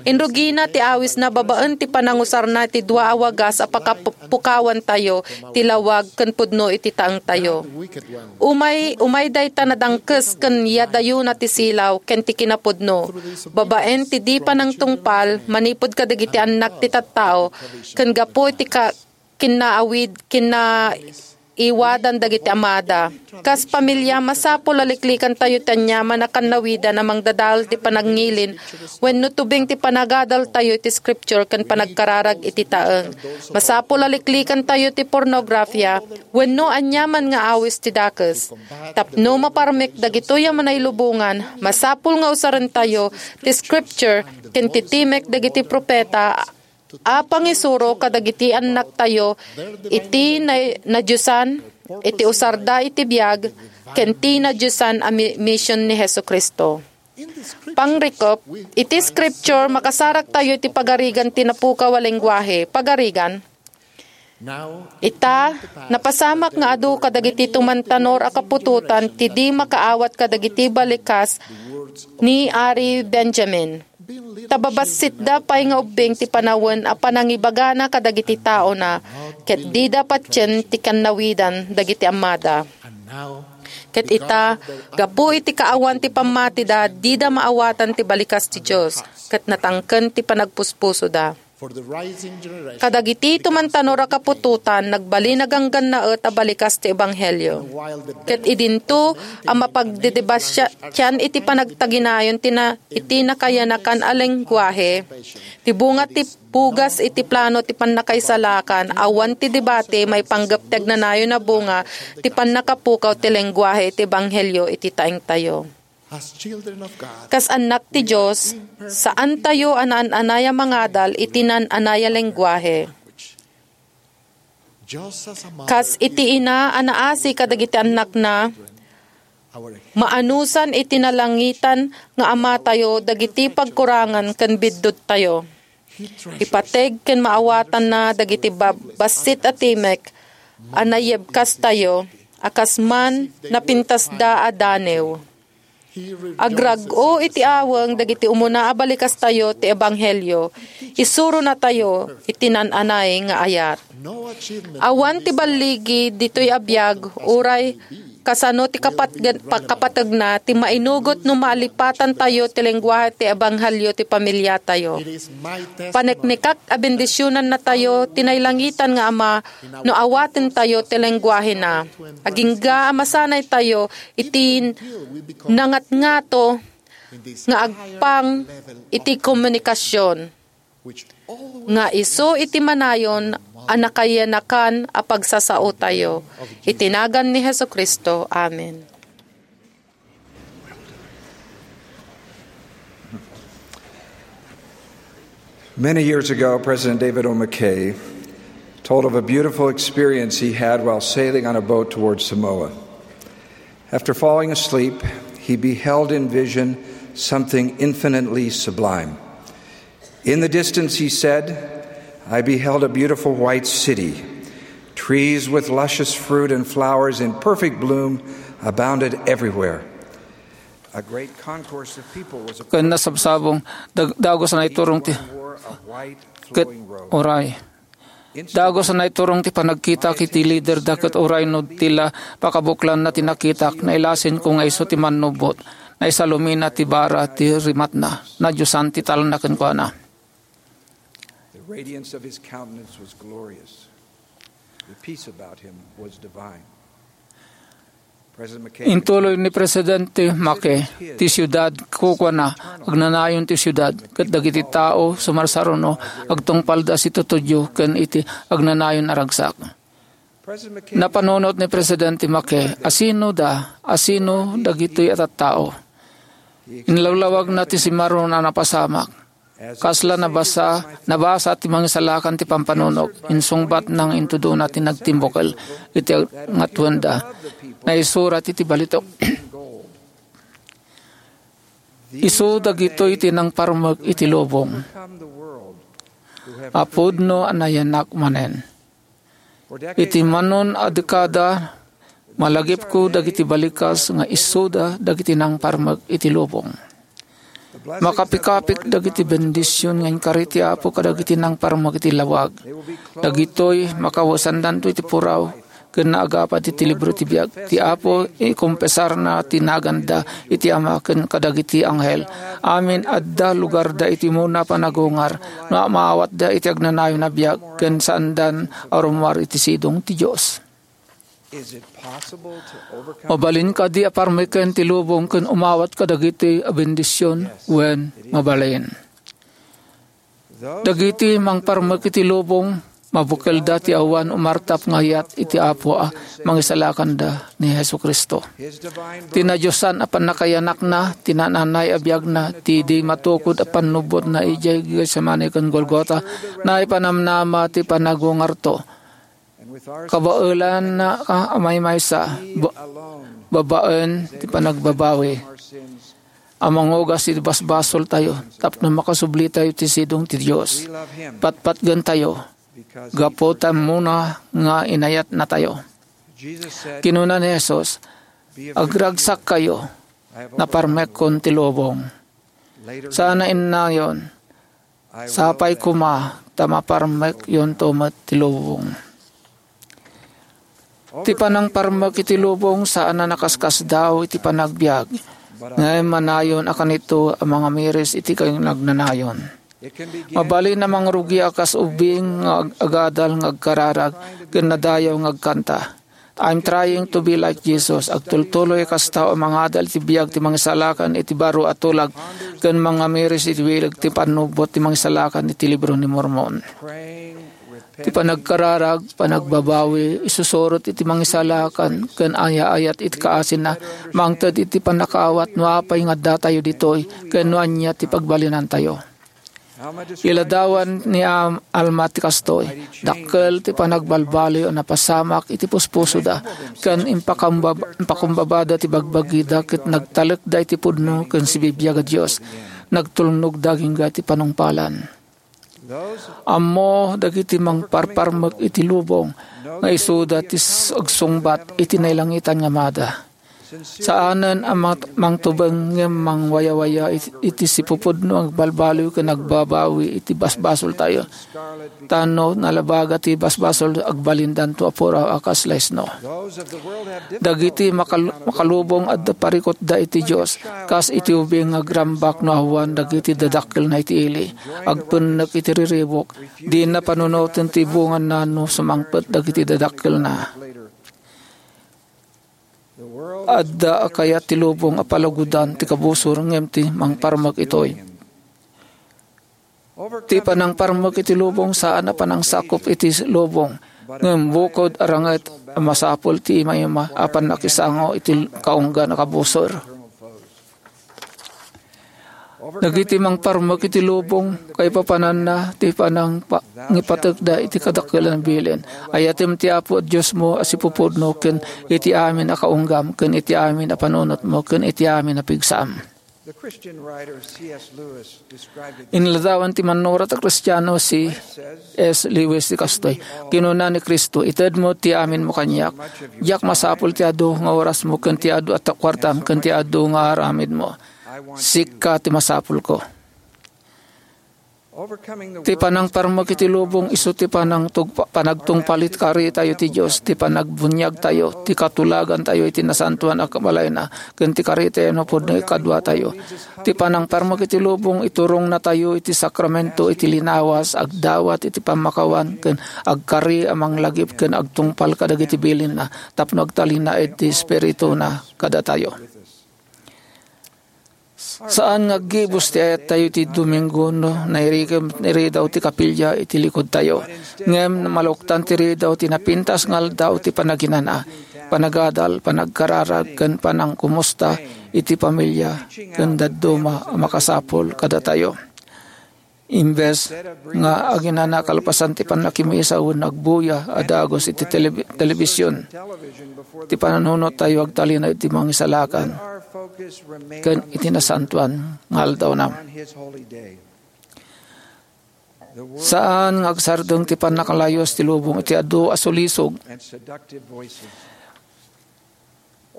Inrugina ti awisna babaen ti panangusarna iti dua a wagas a pakapukawantayo, ti lawag ken pudno iti taengtayo. Umay, umay dayta nadangkes ken yadayona ti silaw ken ti kinapudno, babaen ti di panangtungpal manipud kadagiti annak ti tattao, ken gapu iti ka-, kinnaawid, kinnaiwadan dagiti amada. Kas pamilia, masapul a liklikantayo ti aniaman a kannawidan a mangdadael ti panagngilin wenno tubeng ti panagadaltayo iti Scripture ken panagkararag iti taeng. Masapul a liklikantayo ti pornografia wenno aniaman nga awis ti dakes. Tapno maparmek dagitoy a manailubongan, masapul nga usarentayo ti Scripture ken ti timek dagiti profeta a pangisuro kadagiti annaktayo iti na-, nadiosan, iti usarda iti biag, ken ti nadiosan a mi-, mision ni Jesu-Cristo. Pangrikup, iti Scripture, makasaraktayo iti pagarigan ti napukaw a lengguahe. Pagarigan? Ita, napasamak nga adu kadagiti tumantanor a kaputotan ti di makaawat kadagiti balikas ni Ari Benjamin. Ta babassitda pay nga ubbing ti panawen a panangibagana kadagiti taona, ket dida patien ti kannawidan dagiti ammada. Ket ita, gapu iti kaawan ti pammatida, dida maawatan ti balikas ti Dios, ket natangken ti panagpuspusoda. Kadagiti tumantanor a kaputotan, nagbalin a ganggannaet a balikas ti ebanghelio. Ket idinto a mapagdidibasian iti panagtaginayon ti na-, iti nakayanakan a lengguahe, ti bunga ti pugas iti plano ti pannakaisalakan, awan ti debate maipanggep ti agnanayon a bunga ti pannakapukaw ti lengguahe iti ebanghelio iti taengtayo. Kas annak ti Dios, saantayo a naan-anay a mangadal iti naan-anay a lengguahe. Kas iti ina a naasi kadagiti annakna, maanusan iti nalangitan nga Amatayo dagiti pagkurangan ken biddutayo. Ipateg ken maawatanna dagiti ba-, bassit a timek a naiyebkastayo a kas man napintasda a danew. Agrag-o iti aweng dagiti umuna a balikastayo ti ebanghelio, isuronatayo iti naan-anay nga ayat. Awan ti balligi ditoy a biag, uray kasano ti kapat-, pa-, kapategna ti mainugot no maalipatantayo ti lengguahe ti ebanghelio ti pamiliatayo. Paneknekak a bendisionannatayo ti nailangitan nga Ama no awatentayo ti lengguahena. Agingga a masanaytayo iti nangatngato nga agpang iti komunikasion nga isu iti manayon a nakayanakan a pagsasaotayo. Iti nagan ni Jesu-Cristo. Amen. Many years ago, President David O. McKay told of a beautiful experience he had while sailing on a boat towards Samoa. After falling asleep, he beheld in vision something infinitely sublime. In the distance, he said, I beheld a beautiful white city. Trees with luscious fruit and flowers in perfect bloom abounded everywhere. A great concourse of people was Ken nasabsabong, dag-, dagus a naiturong ti, wore a white ket flowing robe. Uray. Dagus a naiturong ti panagkitak iti liderda ket uray no ti la pakabuklanna ti nakitak, nailasinko nga isu ti mannubot. Naisalumina ti bara ti rimatna. Nadiosan ti talna kenkuana. The radiance of his countenance was glorious. The peace about him was divine. President McKay Intuloy ni Presidente Mackay ti siudad, kukuana, agnanayon ti siudad, ket dagiti tao sumarsaruno, agtungpalda situtudyo ken iti agnanayon a ragsak. President McKay Napanunot ni Presidente Mackay, asino da, asino dagitoy a tattao. Inlawlawagna ti simarron a napasamak. Kasla nabasa, nabasa ti Mangisalakan ti pampanunot, insungbatna nga intudona ti nagtimbukel iti ngatoenda. Naisurat iti balitok. Isu dagitoy ti nangparmek iti lubong a pudno a nayanak manen. Iti manon a dekada, malagipko dagiti balikas nga isuda dagiti nangparmek iti lubong. Makapikapik dagiti bendision nga inkari ti Apo kadagiti nangparmek iti lawag. Dagitoy, makawesandanto iti puraw, ken naagapad iti libro ti biag. Ti Apo, ikumpesarna ti naganda iti Ama ken kadagiti anghel. Amin adda lugarda iti umuna a panagungar, no maawatda iti agnanayon a biag, ken saandan a rummuar iti sidong ti Dios. Mabalin kadi a parmeken ti lubong ken umawat kadagiti a bendision? Wen, mabalin. Dagiti mangparmek iti lubong, mabukelda ti awan umartap nga ayat iti Apo a Mangisalakanda ni Jesu-Cristo. Ti nadiosan a pannakayanakna, ti naan-anay a biagna, ti di matukod a pannubotna idiay Getsemani ken Golgota, naipanamnama ti panagungarto. Kabaelanna a maymaysa, ba-, babaen ti panagbabawi a mangugas iti basbasoltayo tapno makasublitayo ti sidong ti Dios. Patpatgentayo gapu ta umuna nga inayatnatayo. Kinuna ni Jesus, "Agragsakkayo, naparmekkon ti lubong." Saan a innayon, sapay koma ta maparmekyonto met ti lubong. Ti panangparmek iti lubong saan a nakaskasdaaw iti panagbiag, ngem manayon a kanito a mangamiris iti kinagnanayon. Mabalin a mangrugi a kas ubing nga ag-, agadal nga agkararag ken nadayaw nga agkanta. "I'm trying to be like Jesus." Agtultuloy a kasta a mangadal iti biag ti Mangisalakan iti baro a tulag ken mangamiris iti bileg ti pannubot ti Mangisalakan iti Libro ni Mormon. Ti panagkararag, panagbabawi, isusurot iti Mangisalakan ken ayaayat iti kaasina, mangted iti pannakaawat no apay nga addatayo ditoy ken no ania ti pagbalinantayo. Iladawan ni Am-, Alma ti kastoy, dakkel ti panagbalbaliw a napasamak iti puspusoda, ken impakambab-, impakumbabada ti bagbagida ket nagtalekda iti pudno ken sibibiag a Dios. Nagtulnog dagingga ti panungpalan. Ammo dagiti mangparparmek iti lubong nga isuda ti s-, agsungbat iti nailangitan nga Amada. Saanen a mat-, mangtubeng ngem mangwayawaya it-, iti sipupudno nga agbalbaliw ken agbabawi iti basbasoltayo. Ta no nalabaga ti basbasol, agbalindanto a puraw a kas laisno. Dagiti makal-, makalubong adda parikutda iti Dios, kas iti ubing nga agrambak no awan dagiti dadakkelna iti ili. Agpennek iti riribuk, dina panunoten ti bunganna no sumangpet dagiti dadakkelna. Adda a kayat ti lubong a palagudan ti kabusor ngem ti mangparmek itoy. Ti panangparmek iti lubong saan a panangsakup iti lubong, ngem bukod a ranget a masapul ti imayma a pannakisango iti kaunggan a kabusor. Dagiti mangparmek iti lubong, kaipapananna ti panangpa-, ngipatekda iti kadakkelan a bilin. Ayatem ti Apo a Diosmo a sipupudno ken iti amin a kaunggam, ken iti amin a panunotmo, ken iti amin a pigsam. The Christian writer C S Lewis described it. Inladawan ti mannurat a Kristiano, C S Lewis, ti kastoy. Kinuna ni Cristo, "Itedmo ti aminmo kaniak. Diak masapul ti adu nga orasmo ken ti adu a kuartam ken ti adu nga aramidmo. Sika ti masapulko." Ti panangparmek iti lubong isu ti panangtugpa-, panagtungpal iti karitayo ti Dios, ti panagbuniagtayo, ti katulagantayo iti nasantoan a kabalayna, ken ti karitayo a pudno ikaduatayo. Ti panangparmek iti lubong iturongnatayo iti sakramento iti linawas, agdawat iti pammakawan, ken agkari a manglagip ken agtungpal kadagiti bilinna tapno agtalinaed ti Espirituna kadatayo. Saan nga aggibus ti ayattayo iti Domingo no nairikem iridaw ti kapilya iti likodtayo. Ngem maluktan ti ridaw ti napintas nga aldaw ti panaginana, panagadal, panagkararag, ken panangkumusta iti pamilya ken dadduma a makasapul kadatayo. Imbes nga aginana kalpasan ti pannakimisa wenno agbuya a dagus iti telebi-, telebision, ti pananunottayo agtalinaed iti mangisalakan ken iti nasantoan nga aldawna. Saan nga agsardeng ti pannakalayus ti lubong iti adu a sulisog.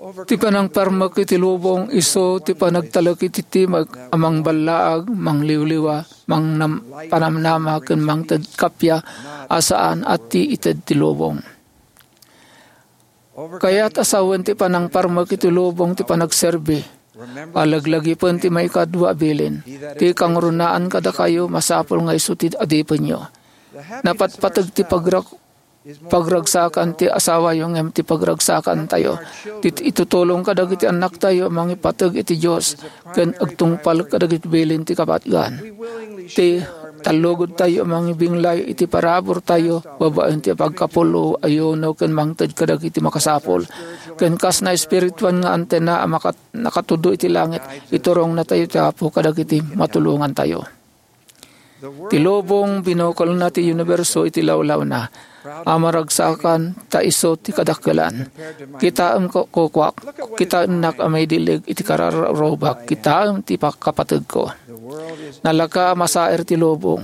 Ti panangparmek iti lubong isu ti panagtalek iti timek a mangballaag, mangliwliwa, mangnam-, panamnama, ken mangted kappia a saan a ti ited ti lubong. Kayat a sawen ti panangparmek iti lubong ti panagserbi. Alaglagipen ti maikadua a bilin. Ti kangrunaan kadakayo masapul nga isu ti adipenyo. Napatpateg ti pagrak-, pagragsakan ti asawayo ngem ti pagragsakantayo ti itutulong kadagiti annaktayo a mangipateg iti Dios ken agtungpal kadagiti bilin ti kapatgan. Ti tallugodtayo a mangibinglay iti paraburtayo babaen ti pagkapullo, ayuno, ken mangted kadagiti makasapul. Ken kas naespirituan nga antena a makat-, nakatudlo iti langit, iturongnatayo ti Apo kadagiti matulongantayo. Ti lubong, binukelna ti uniberso iti lawlawna a maragsakan ta isu ti kadakkelan. Kitaem ko-, kukuak, kitaennak a maidileg iti kararubak, kitaem ti pakapategko. Nalaka a masaer ti lubong,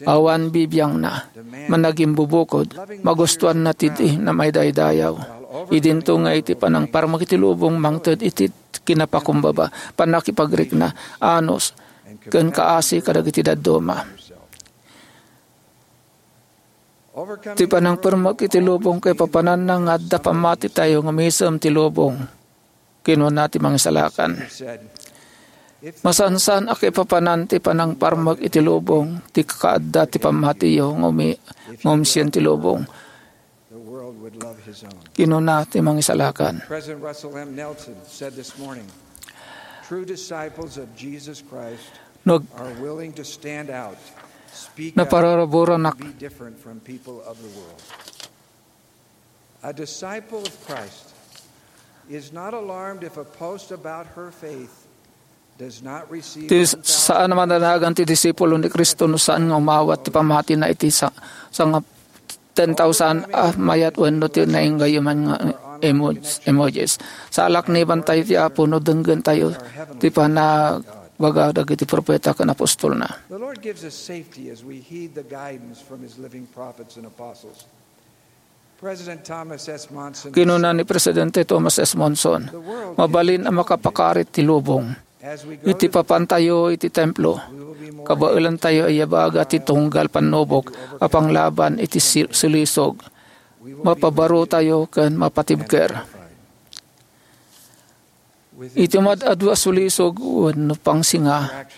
awan bibiangna, managimbubukod, magustuanna ti di na maidaydayaw. Idinto nga iti panangparmek iti lubong mangted iti kinapakumbaba, pannakipagrikna, anus, ken kaasi kadagiti dadduma. Ti panangparmek iti lubong kaipapananna nga adda pammatitayo nga umisem ti lubong, kinuna ti Mangisalakan. Masansan a kaipapanan ti panangparmek iti lubong ti kakaadda ti pammatiyo nga umi-, nga umsien ti lubong. Kinuna ti Mangisalakan. President Russell M. Nelson said this morning, "True disciples of Jesus Christ No, are willing to stand out, speak out, naparaburanak. Be different from people of the world." A disciple of Christ is not alarmed if a post about her faith does not receive Ti saan a madanagan ti disipulo ni Cristo no saan nga umawat ti pammatina iti sa-, sanga ten thousand a mayat wenno ti nainggayuman nga emo-, emojis. Salaknibantayo ti Apo no denggentayo ti panagbaga dagiti profeta ken apostolna. The Lord gives us safety as we heed the guidance from his living prophets and apostles. President Thomas S. Monson Kinuna ni Presidente Thomas S. Monson, "Mabalin a makapakarit ti lubong. Iti papantayo iti templo, kabaelantayo a ibaga ti tunggal pannubok a panglaban iti si-, sulisog. Mapabarotayo ken mapatibker." Iti mad-adu a sulisog wenno pangsinga,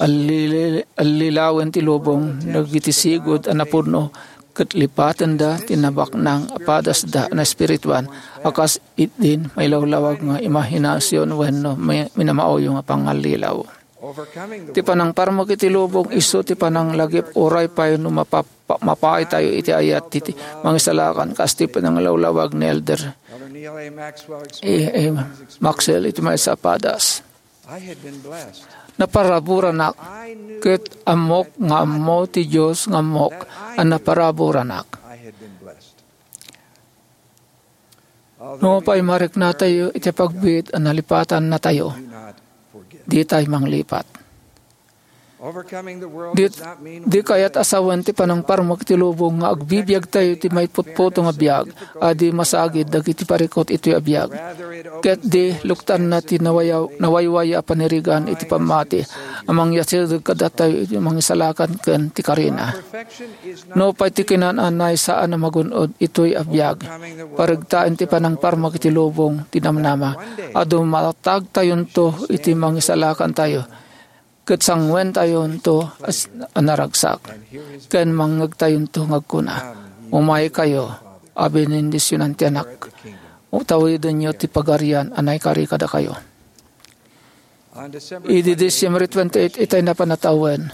allili-, allilawen ti lubong dagiti sigud a napudno ket lipatenda ti nabaknang a padasda a naespirituan a kas idin mailawlawag nga imahinasion wenno mi-, minamauyo nga pangallilaw. Ti panangparmek iti lubong isu ti pananglagip uray pay no mapa-, pa-, mapaaytayo iti ayat ti, ti mangisalakan kas ti pananglawlawag ni Elder Elder Neil A. Maxwell E. A. explained Maxwell iti maysa a padas. I had been blessed. Naparaburanak, ket ammok nga ammo ti Dios nga ammok a naparaburanak. I had been blessed. No pay mariknatayo iti pagbiit a nalipatannatayo, ditay manglipat. Di, di kayat a sawen ti panangparmek ti lubong nga agbibiagtayo ti maiputputo nga biag a di masagid dagiti parikut itoy a biag. Ket di luktanna ti nawayaw-, nawaywaya a panirigan iti pammati a mangyasideg kadatayo iti mangisalakan ken ti karina. Nupay ti kinananay saan a magun-od itoy a biag, paregtaen ti panangparmek iti lubong ti namnama a dumatagtayonto iti mangisalakantayo. Ket sangwentayonto a s-, a naragsak, ken mangngegtayonto nga agkuna, "Umaykayo a benendisionan ti Anak, tawidenyo ti pagarian a naikari kadakayo." Idi Disyembre twenty-eight itay napan a tawen,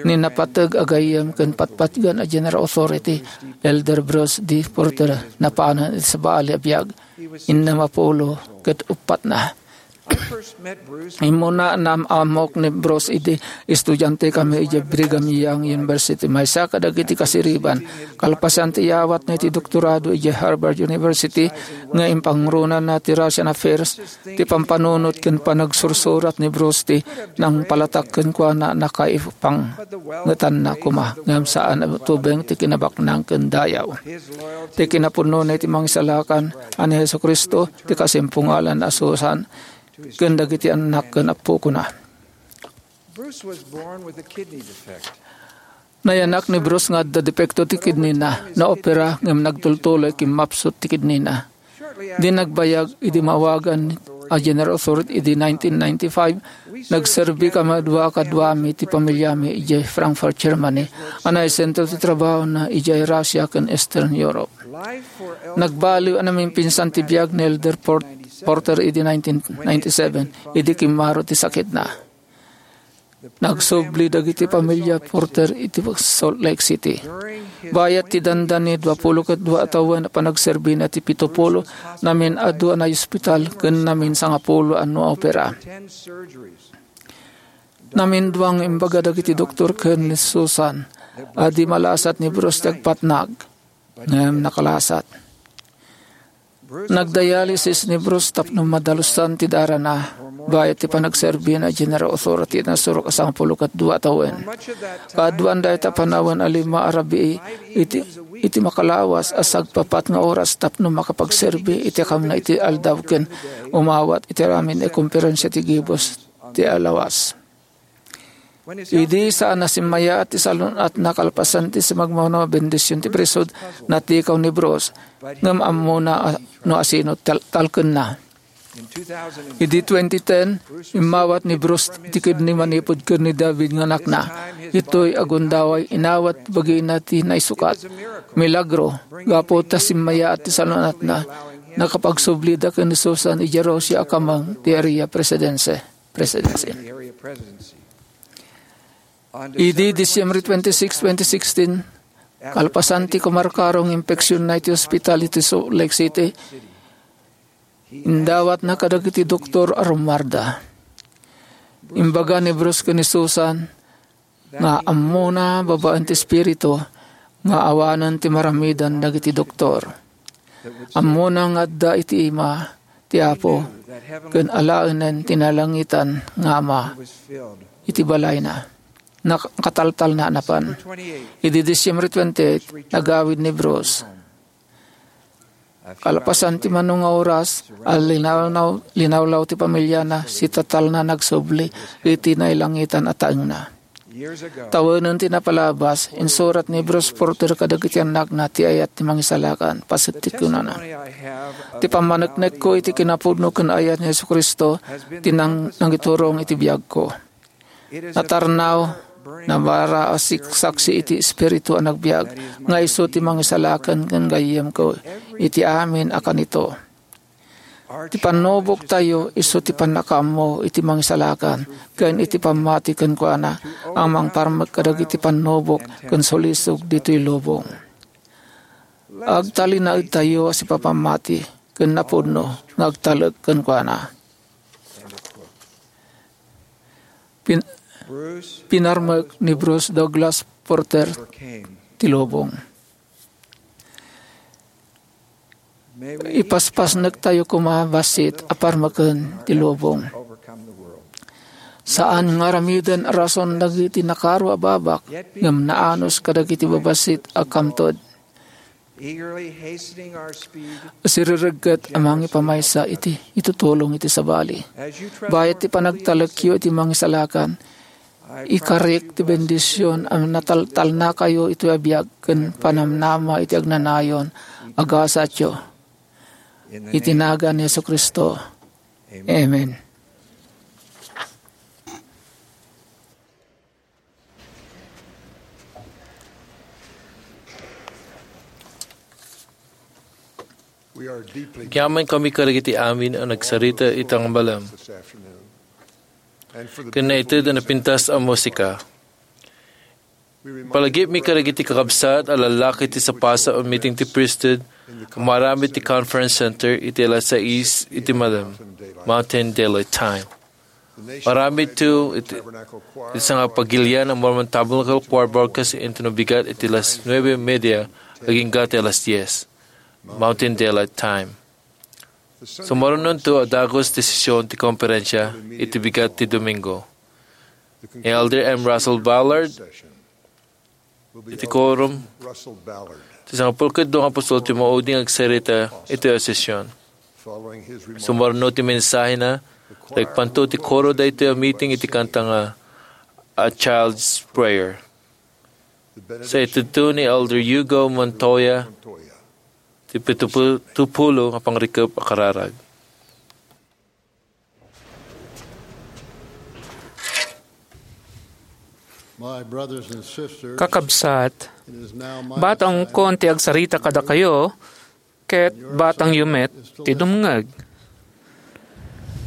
ni napateg a gayyem ken patpatgen a General Authority, Elder Bruce D. Porter, napanen iti sabali a biag, innem a pulo ket uppatna. Immuna, naam-ammok ni Bruce idi estudiantekami idiay Brigham Young University, maysa kadagiti kasiriban. Kalpasan ti iyawatna iti doktorado idiay Harvard University nga impangronana ti Russian Affairs, ti pampanunot ken panagsursurat ni Bruce ti nangpalatak kenkuana a nakaipangetanna koma, ngem saan a tubeng ti kinabaknang ken dayaw. Ti kinapudnona iti Mangisalakan a ni Jesu-Cristo ti kasimpungalan a Susan ken dagiti annak ken appokona. Bruce was born with a kidney defect. Nayanak ni Bruce nga adda depekto ti kidneyna, naopera ngem nagtultuloy kimmapsut ti kidneyna. Di nagbayag idi maawagan a General Authority idi nineteen ninety-five, nagserbi kami a dua kaduami ti pamiliami idiay Frankfurt, Germany, a naisentro ti trabahona idiay Russia ken Eastern Europe. Nagbaliw a namimpinsan ti biag ni Elder Port-, Porter idi nineteen ninety-seven, idi kimmaro ti sakitna. Nagsubli dagiti pamilya Porter iti Salt Lake City. Bayat ti dandani, dua pulo ket dua a tawen a panagserbina ti pito pulo, namin-adu a naospital ken namin sangapulo a naopera. Namin dua nga imbaga dagiti doktor ken ni Susan a di malasat ni Bruce ti agpatnag, ngem nakalasat. Nagdialysis ni Bruce tapno madalusan ti darana, bayat ti panagserbina a General Authority a nasurok a sangapulo ket dua a tawen. Kaaduan dayta a panawen a lima a rabii iti, iti makalawas a sagpapat nga oras tapno makapagserbi iti akamna iti aldaw ken umawat iti amin a komperensia ti gibus ti alawas. Idi saan a simmayaat ti salun-atna kalpasan ti sumagmamano a bendision ti priesthood, natikaw ni Bruce, ngem ammona a, no asino tal-, talkenna. Idi twenty ten, immawat ni Bruce ti kidney manipud ken ni David nga anakna. Ditoy a gundaway, inawat ti bagina ti naisukat. Milagro, gapu ta simmayaat ti salun-atna, nakapagsublida ken ni Susan idiay Russia a kameng ti Area Presidency. Presidency. Idi Disyembre twenty-six, twenty sixteen, kalpasan ti kumarkarong nga impeksionna iti ospital iti Salt Lake City, indawatna kadagiti doktor a rummuarda. Imbaga ni Bruce ken ni Susan nga ammona babaen ti Espiritu nga awanen ti maramidan dagiti doktor. Ammona nga adda iti ima ti Apo ken alaenen ti nalangitan nga Ama iti balayna. Nakataltalna a napan. Idi Disyembre twenty-eight, nagawid ni Bruce. Kalpasan ti mano nga oras, a linawlaw, linawlaw ti pamiliana, si tatalna nagsubli iti nailangitan a taengna. Tawenen ti napalabas, insurat ni Bruce Porter kadagiti annakna ti ayat ti Mangisalakan. Paset ti kunana, "Ti pammaneknekko iti kinapudno ken ayat ni Jesu-Cristo ti nang-, nangiturong iti biagko. Natarnaw, nabara a sik-, saksi iti Espiritu a nagbiag, nga isu ti Mangisalakan ken gayyemko iti amin a kanito." Ti pannuboktayo isu ti pannakaammo iti Mangisalakan ken iti pammati kenkuana a mangparmek kadagiti pannubok ken sulisog ditoy lubong. Agtalinaedtayo a sipapammati ken napudno nga agtalek kenkuana. Pin-, pinarmek ni Bruce Douglas Porter ti lubong. Ipaspasnektayo koma bassit a parmeken ti lubong. Saan nga aramiden a rason dagiti nakaro a babak, ngem naanus kadagiti babassit a kamtod. Siriregget a mangipamaysa iti itutulong iti sabali. Bayat ti panagtalekyo iti mangisalakan, ikarik ti bendision a nataltalnakayo iti biag ken panamnama iti agnanayon a gasatyo. Iti nagan ni Jesu-Cristo. Amen. Agyamankami kadagiti amin a nagsarita ita nga malem ken naited a napintas a musika. Palagipmi kadagiti kakabsat a lallaki ti sapasao a meeting ti priesthood a maaramid ti Conference Center iti alas sais iti malem, Mountain Daylight Time. Maaramidto iti, iti sangapagilian a Mormon Tabernacle Choir Broadcast Center no bigat iti alas nuebe y media agingga ti alas dies, Mountain Daylight Time. Sumarunonto a dagus ti sesion ti komperensia iti bigat ti Domingo. Ni Elder M. Russell Ballard iti quorum ti sangapulkit dua nga apostol ti maudi nga agsarita iti sesion. Sumarno ti mensahena, naikpanto ti koro daytoy a meeting iti kanta nga A Child's Prayer. Sa itedto ni Elder Hugo Montoya ti pitupu-, tupulo nga pangrikep a kararag. My brothers and sisters, Kakabsat, it is now my batangkon ti agsarita kadakayo, ket batangyo met ti dumngeg.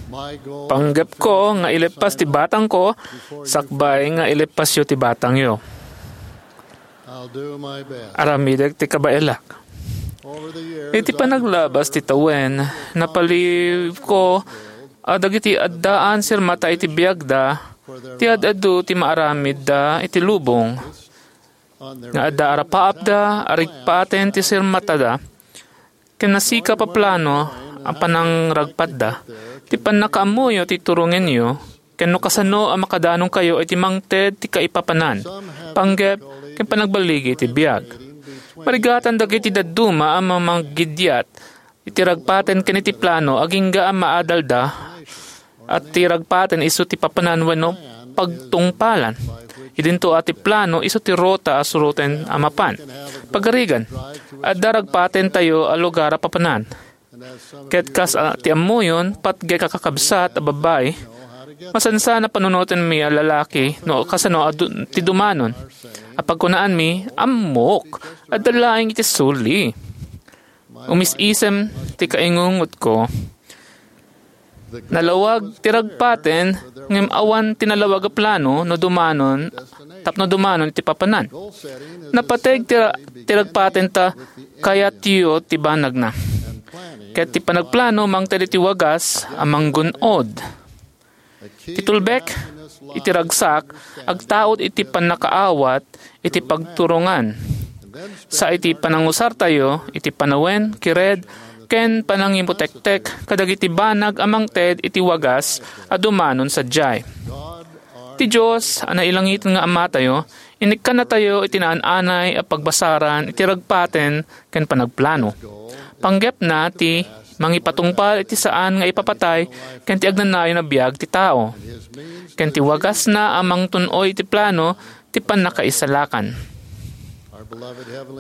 My goal Panggepko nga ileppas ti batangko sakbay nga ileppasyo ti batangyo. I'll do my best. Aramidek ti kabaelak. Over the years, Iti panaglabas ti tawen, napalibko a dagiti addaan sirmata iti biagda, ti ad-adu ti maaramidda iti lubong, nga adda arapaapda a rigpaten ti sirmatada, ken nasikap a plano a panangragpatda. Ti pannakaammoyo ti turongenyo, ken no kasano a makadanonkayo iti mangted ti kaipapanan, panggep, ken panagballigi iti biag. Marigatan dagiti dadduma a mamanggidiat iti ragpaten ken iti plano agingga a maadalda, a ti ragpaten isu ti papanan wenno pagtungpalan. Idinto a ti plano isu ti ruta a suroten a mapan. Pagarigan, adda ragpatentayo a lugar a papanan. Ket kas a ti ammoyon, patgek a kakabsat a babbai, masansan a panunotenmi a lalaki no kasano a du-, ti dumanon. A pagkunaanmi, "Ammok, adda laeng iti suli." Umis-isem ti kaingungotko. Nalawag ti ragpaten, ngem awan ti nalawag a plano no dumanon, tapno dumanon ti papanan. Napateg ti ra-, ti ragpaten ta kayatyo ti banagna. Ket ti panagplano mangted iti wagas a manggun-od. Ti tulbek iti ragsak, agtaud iti pannakaawat iti pagturongan. Sa iti panangusartayo iti panawen, kired, ken panangimutektek kadagiti banag a mangted iti wagas a dumanon sadiay. Ti Dios a nailangiten nga Amatayo, inikkannatayo iti naan-anay a pagbasaran iti ragpaten ken panagplano. Panggepna ti mangipatungpal iti saan nga ipapatay ken ti agnanayon a biag ti tao. Ken ti wagasna a mangtun-oy iti plano ti pannakaisalakan.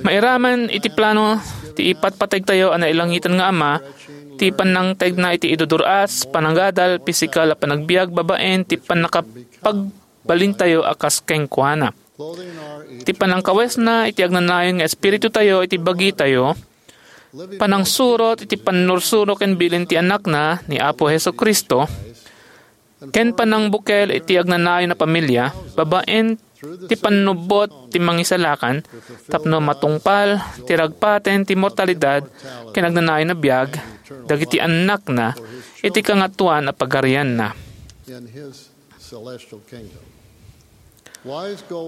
Mairaman iti plano ti ipatpategtayo a nailangiten nga Ama, ti pannangtedna iti idudur-as, panagadal, pisikal a panagbiag babaen ti pannakapagbalintayo a kas kenkuana. Ti panangkawesna iti agnanayon nga espiritutayo iti bagitayo, panangsurot iti pannursuro ken bilin ti Anakna ni Apo Jesu-Cristo, ken panangbukel iti agnanayon a pamilia babaen ti pannubbot ti Mangisalakan tapno matungpal ti ragpaten ti mortalidad ken agnanayon a biag dagiti annakna iti Kangatoan a Pagarianna.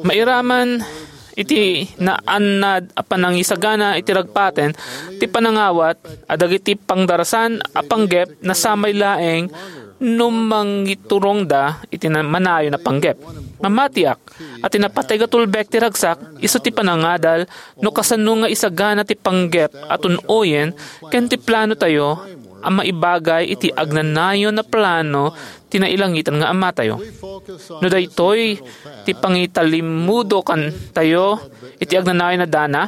Mairaman iti naannad a panangisagana iti ragpaten ti panangawat a dagiti pangdarasan a panggep nasamay laeng no mangiturongda iti na-, manayon a panggep. Mamatiak a ti napateg a tulbek ti ragsak isu ti panangadal no kasano nga isagana ti panggep a tun-oyen ken ti plano tayo a maibagay iti agnanayon a plano ti nailangitan nga Amatayo. No daytoy ti pangitalimudo kantayo iti agnanayon a dana,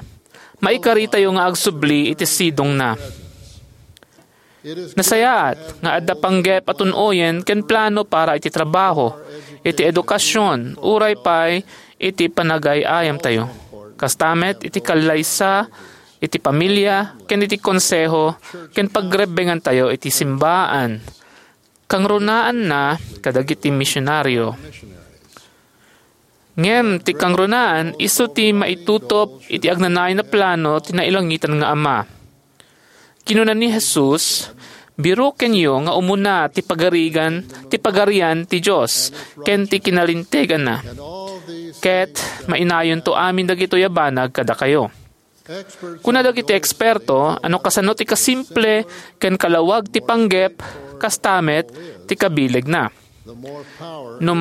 maikaritayo nga agsubli iti sidongna. Nasayaat nga adda panggep a tun-oyen ken plano para iti trabaho, iti edukasion, uray pay iti panagay-ayamtayo. Kasta met iti kallaysa, iti pamilia, ken iti konseho, ken pagrebbengantayo iti simbaan. Kangrunaanna kadagiti misionario. Ngem ti kangrunaan isu ti maitutop iti agnanayon a plano ti nailangitan nga Ama. Kinuna ni Jesus, "Birokenyo nga umuna ti pagarigan, ti pagarian ti Dios, ken ti kinalinteganna. Ket mainayonto amin dagitoy a banag kadakayo." Kuna dagiti eksperto a no kasano ti kasimple ken kalawag ti panggep, kasta met ti kabilegna. No,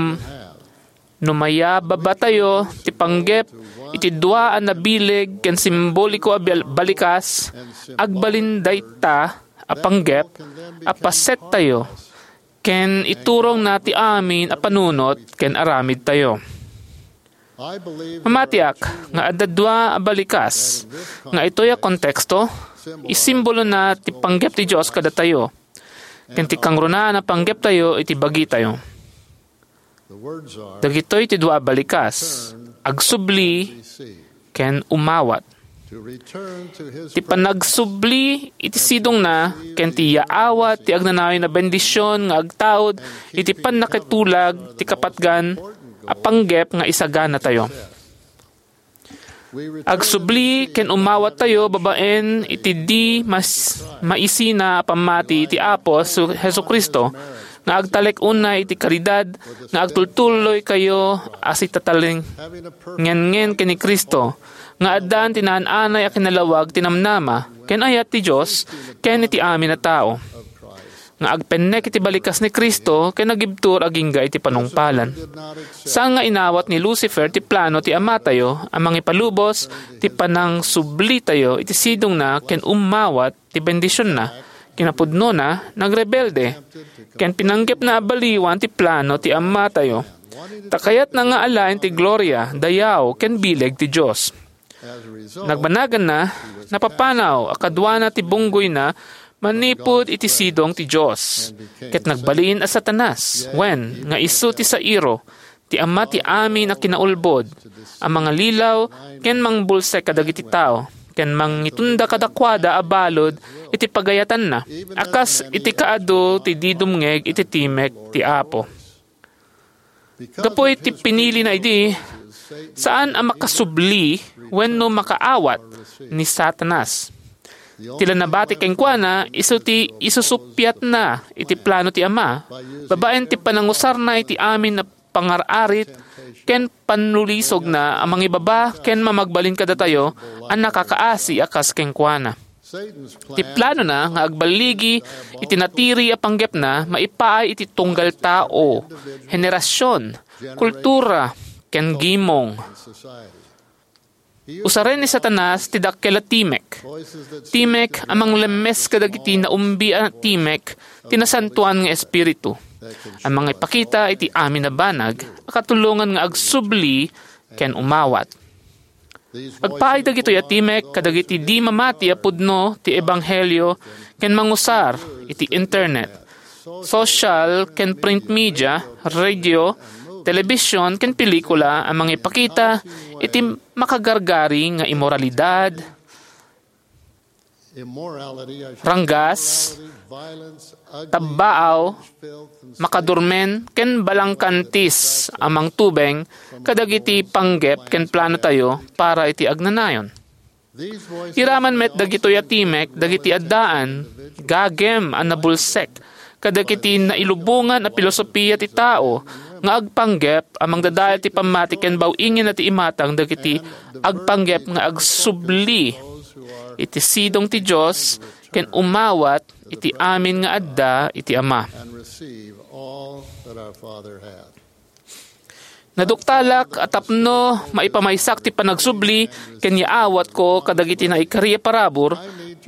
no mayababatayo ti panggep iti dua a nabileg ken simboliko a bal-, balikas, agbalin dayta a panggep a pasettayo ken iturongna ti amin a panunot ken aramidtayo. Mamatiak nga adda dua a balikas nga itoy a konteksto, isimbolona ti panggep ti Dios kadatayo, ken ti kangrunaan a panggeptayo iti bagitayo. Dagitoy ti dua a balikas, agsubli ken umawat. Ti panagsubli iti sidongna ken ti yaawat ti agnanayon a bendision nga agtaud iti pannakitulag ti kapatgan a panggep nga isaganatayo. Agsubli ken umawattayo babaen iti di mas-, maisina a pammati ti Apo Jesu-, Jesu-Cristo nga agtalek unay iti karidad nga agtultuloykayo a sitatalingenngen ken ni Cristo, nga addaan ti naan-anay a kinalawag ti namnama ken ayat ti Dios ken iti amin a tao, nga agpennek iti balikas ni Cristo ken agibtur agingga iti panungpalan. Saan nga inawat ni Lucifer ti plano ti Amatayo a mangipalubos ti panangsublitayo iti sidongna ken ummawat ti bendisionna. Kinapudnona, nagrebelde, ken pinanggepna a baliwan ti plano ti Amatayo. Ta kayatna nga alaen ti gloria, dayaw, ken bileg ti Dios. Nagbanaganna, napapanaw a kaduana ti bunggoyna manipud iti sidong ti Dios, ket nagbalin a Satanas, wen, nga isu ti sairo, ti ama ti amin a kinaulbod, a mangalilaw ken mangbulsek kadagiti tao, ken mangitunda kadakuada a balud iti pagayatanna, a kas iti kaadu ti di dumngeg iti timek ti Apo. Gapu iti pinilina idi, saan a makasubli wenno makaawat ni Satanas. Ti la nabati kenkuana isu ti isusuppiatna iti plano ti Ama, babaen ti panangusarna iti amin a pangar-arit ken pannulisogna a mangibaba ken mamagbalin kadatayo a nakakaasi a kas kenkuana. Ti planona nga agballigi iti natiri a panggepna maipaay iti tunggal tao, henerasion, kultura, ken gimong. Usaren ni Satanas ti dakkel a timek. Timek a manglemmes kadagiti naumbi a timek ti Nasantoan nga Espiritu, a mangipakita iti amin a banag a katulongan nga agsubli ken umawat. Agpaay dagitoy a timek kadagiti di mamati a pudno ti ebanghelio ken mangusar iti internet, social ken print media, radio, telebision, ken pelikula a mangipakita iti makagargari nga imoralidad, ranggas, tabbaaw, makadurmen, ken balangkantis a mangtubeng kadagiti panggep ken planotayo para iti agnanayon. Iraman met dagitoy a timek dagiti addaan, gagem a nabulsek kadagiti nailubongan a pilosopia ti tao nga agpanggep a mangdadael ti pammati ken baw-ingenna ti imatang dagiti agpanggep nga agsubli iti sidong ti Dios ken umawat iti amin nga adda iti Ama. Naduktalak a tapno maipamaysak ti panagsubli ken yaawatko kadagiti naikari a parabur,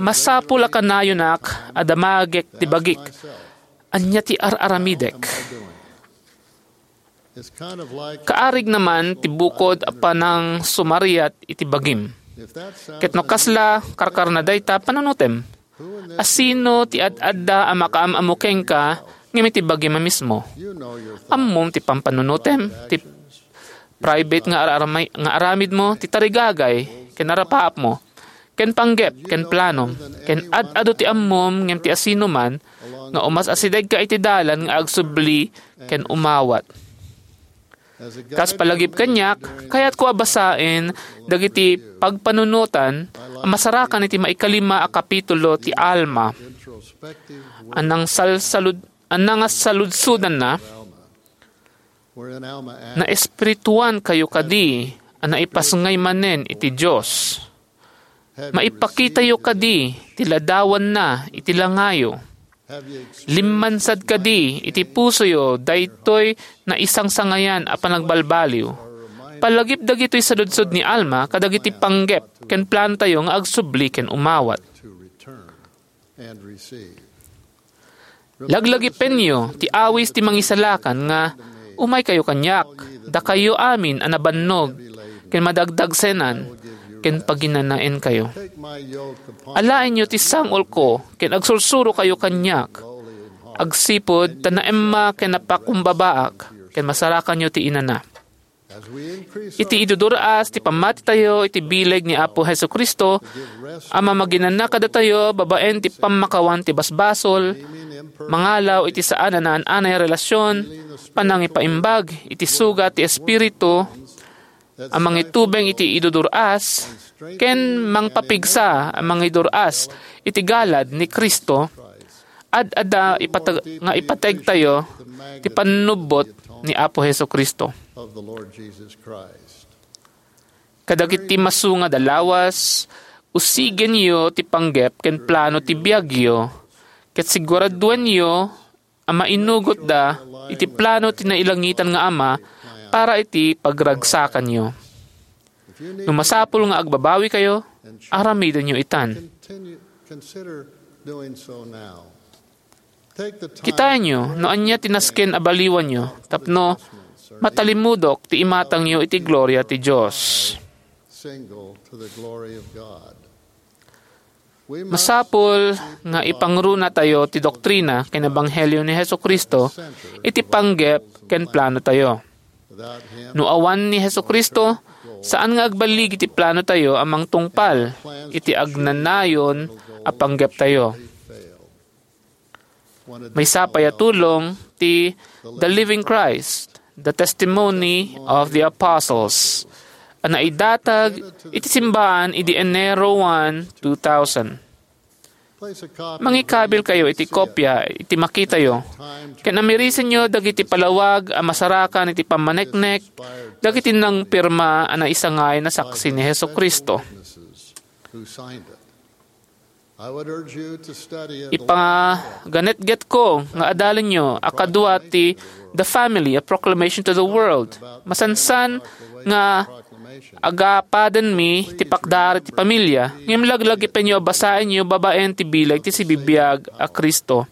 masapul a kanayonak a damagek ti bagik. Ania ti ar-aramidek? Kaarigna man ti bukod a panangsumariat iti bagim. Ket no kasla karkarna dayta, panunutem. Asino ti ad-adda a makaam-ammo kenka ngem iti bagim a mismo? Ammom ti pampanunutem, ti private nga ar-, nga aramidmo, ti tarigagay ken arapaapmo, ken panggep ken planom, ken ad-adu ti ammom ngem ti asinoman nga umas-asidegka iti dalan nga agsubli ken umawat. Kas palagip kaniak, kayatko a basaen dagiti pagpanunotan a masarakan iti maikalima a kapitulo ti Alma. A nangsalsalud-, a nangasaludsodanna, naespirituan kayo kadi a naipasngay manen iti Dios? Maipakitayo kadi ti ladawanna iti langayo? Limmansad kadi iti pusoyo daytoy naisangsangayan a panagbalbaliw? Palagip dagitoy saludsod ni Alma kadagiti panggep ken planotayo nga agsubli ken umawat. Laglagipenyo ti awis ti Mangisalakan nga, "Umaykayo kaniak, dakayo amin a nabannog ken madagdagsenan, ken paginanaenkayo. Alaenyo ti sang-olko ken agsursurokayo kaniak. Agsipud ta naemma ken napakumbabaak, ken masarakanyo ti inana." Iti idudur-as ti pammatitayo iti bileg ni Apo Jesu-Cristo a mamaginana kadatayo babaen ti pammakawan ti basbasol, mangalaw iti saan a naan-anay a relasion, panangipaimbag iti sugat ti Espiritu a mangitubeng iti idudur-as, ken mangpapigsa a mangidur-as iti galad ni Cristo, ad-adda ipateg-, nga ipategtayo ti pannubbot ni Apo Jesu-Cristo. Kadagiti masunga a lawas, usigenyo ti panggep ken plano ti biagyo, ket siguraduenyo a mainugotda iti plano ti nailangitan nga Ama para iti pagragsakanyo. No masapul nga agbabawikayo, aramidenyo itan. Kitaenyo no ania ti nasken a baliwanyo tapno matalimudok ti imatangyo iti gloria ti Dios. Masapul nga ipangrunatayo ti doktrina ken ebanghelio ni Jesu-Cristo iti panggep ken planotayo. No awan ni Jesu-Cristo, saan nga agbaligi ti planotayo a mangtungpal iti agnanayon a panggeptayo. Maysa pay a tulong ti The Living Christ, The Testimony of the Apostles, a naidatag iti simbaan idi Enero one, two thousand. Mangikabilkayo iti kopia iti makitayo, ken amirisenyo dagiti palawag a masarakan iti pammaneknek dagiti nangpirma a naisangay a saksi ni Jesu-Cristo. Ipaganetgetko nga adalenyo a kadua ti The Family, A Proclamation to the World. Masansan nga agapadenmi ti pakdar ti pamilya, ngem laglagipenyo a basaenyo babaen ti bileg ti sibibiag a Cristo.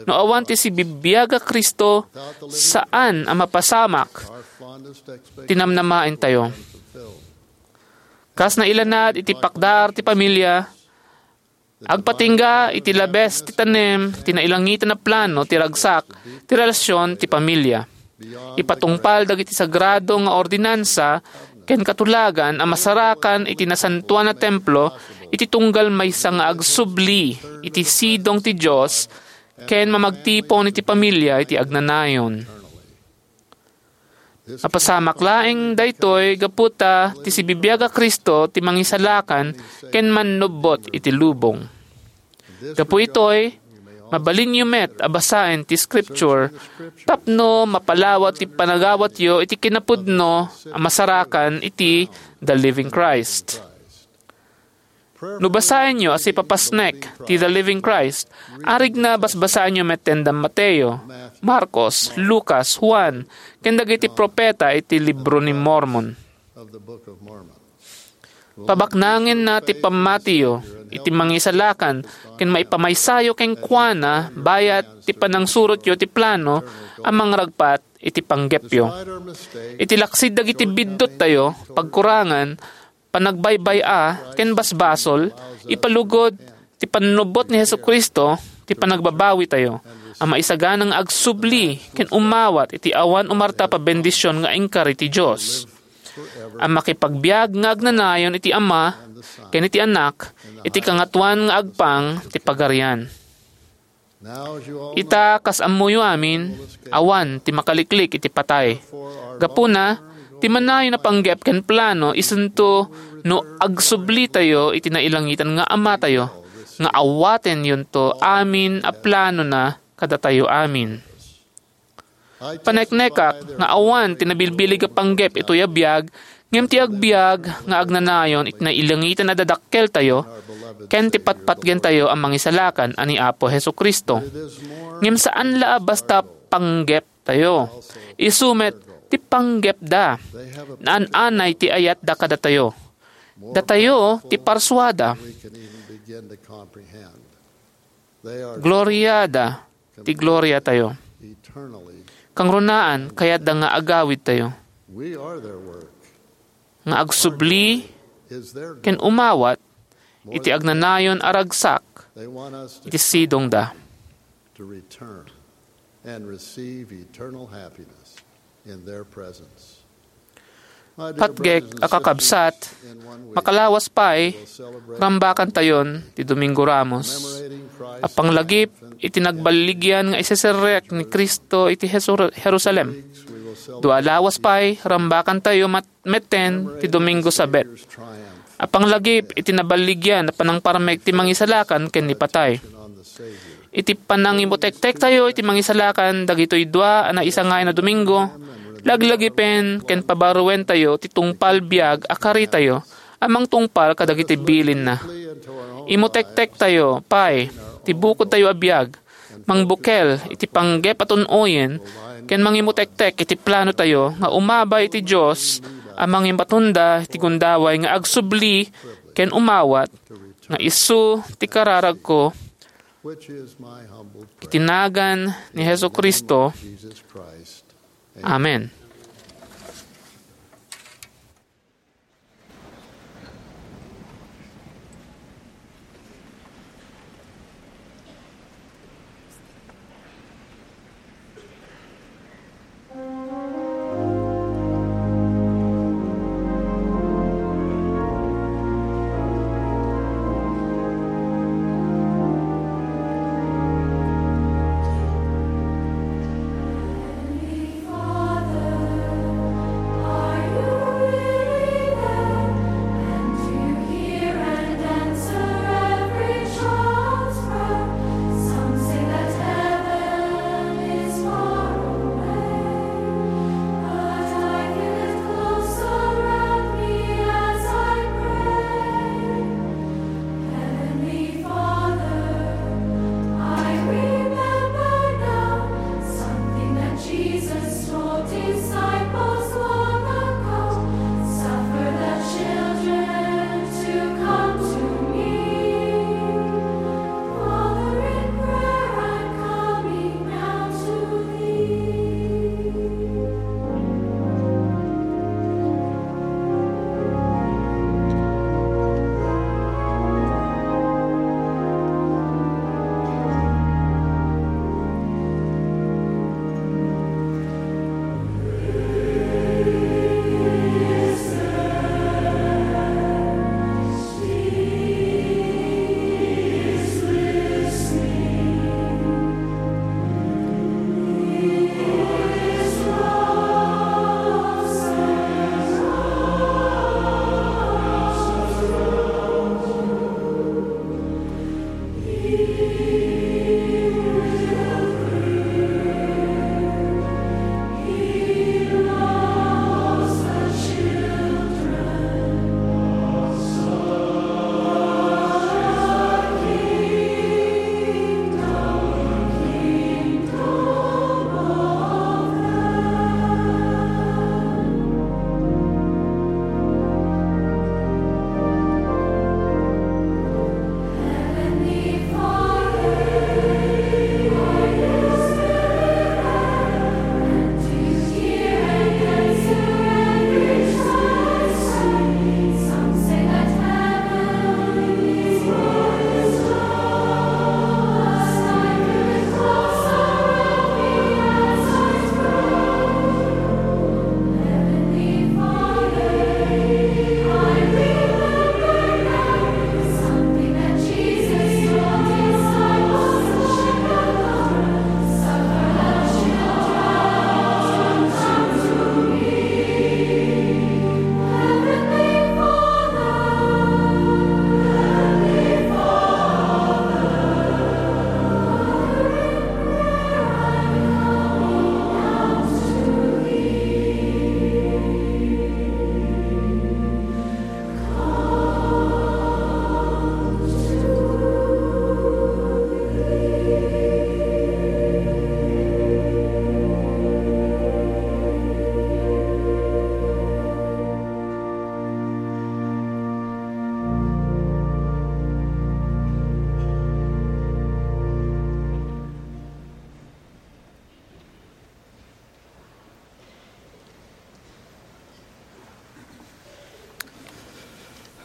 No awan ti sibibiag a Cristo, saan a mapasamak ti namnamaentayo. Kas nailanad iti pakdar ti pamilya, agpatingga iti labes ti tanem ti nailangitan a plano ti ragsak ti relasion ti pamilya. Ipatungpal dagiti sagrado nga ordinansa ken katulagan a masarakan iti nasantoan a templo iti tunggal maysa nga agsubli iti sidong ti Dios ken mamagtipon iti pamilya iti agnanayon. Mapasamak laeng daytoy gapu ta ti sibibiag a Cristo ti Mangisalakan ken Mannubbot iti lubong. Gapu itoy, mabalinyo met a basaen ti Scripture tapno mapalawat ti panagawatyo iti kinapudno a masarakan iti The Living Christ. No basaenyo a sipapasnek ti The Living Christ, arigna basbasaenyo metten da Mateo, Marcos, Lucas, Juan, ken dagiti profeta iti Libro ni Mormon. Pabaknangenna ti pammatiyo iti Mangisalakan ken maipamaysayo kenkuana bayat ti panangsurotyo ti plano a mangragpat iti panggepyo. Iti laksid dagiti bidduttayo, pagkurangan, panagbaybay-a ken basbasol, ipalugod ti pannubbot ni Jesu-Cristo ti panagbabawitayo a maisagana nga agsubli ken umawat iti awan umartap a bendision nga inkari ti Dios, a makipagbiag nga agnanayon iti Ama ken iti Anak iti Kangatoan nga agpang ti Pagarian. Ita, kas ammoyo amin, awan ti makaliklik iti patay. Gapuna, ti manayon a panggep ken plano isunto no agsublitayo iti nailangitan nga Amatayo, nga awatenyonto amin a planona kadatayo amin. Paneknekak nga awan ti nabilbilig a panggep itoy a biag, ngem ti agbiag nga agnanayon iti nailangitan a dadakkeltayo ken ti patpatgentayo a Mangisalakan a ni Apo Jesu-Cristo. Ngem saan la a basta panggeptayo. Isu met ti panggepda. Naan-anay ti ayatda kadatayo. Datayo ti parsuada. Gloriada ti gloriatayo. Kangrunaan, kayatda nga agawidtayo. Nga agsubli ken umawat iti agnanayon a ragsak iti sidongda. Patgek a kakabsat, makalawas pay, rambakantayon ti Domingo Ramos. A panglagip iti nagballigian nga iseserrek ni Cristo iti Jesur-, Jerusalem. Dua a lawas pay, rambakantayo mat-, metten ti Domingo Sabet. A panglagip iti naballigian a panangparmek ti Mangisalakan ken ni patay. Iti panangimutektektayo iti Mangisalakan dagitoy dua a naisangayan a Domingo, laglagipen ken pabaruentayo ti tungpal biag a karitayo a mangtungpal kadagiti bilinna. Imutektektayo pay ti bukodtayo a biag, mangbukel iti panggep a tun-oyen, ken mangimutektek iti planotayo nga umabay iti Dios a mangimatonda iti gundaway nga agsubli ken umawat nga isu ti kararagko iti nagan ni Jesu-Cristo. Amen.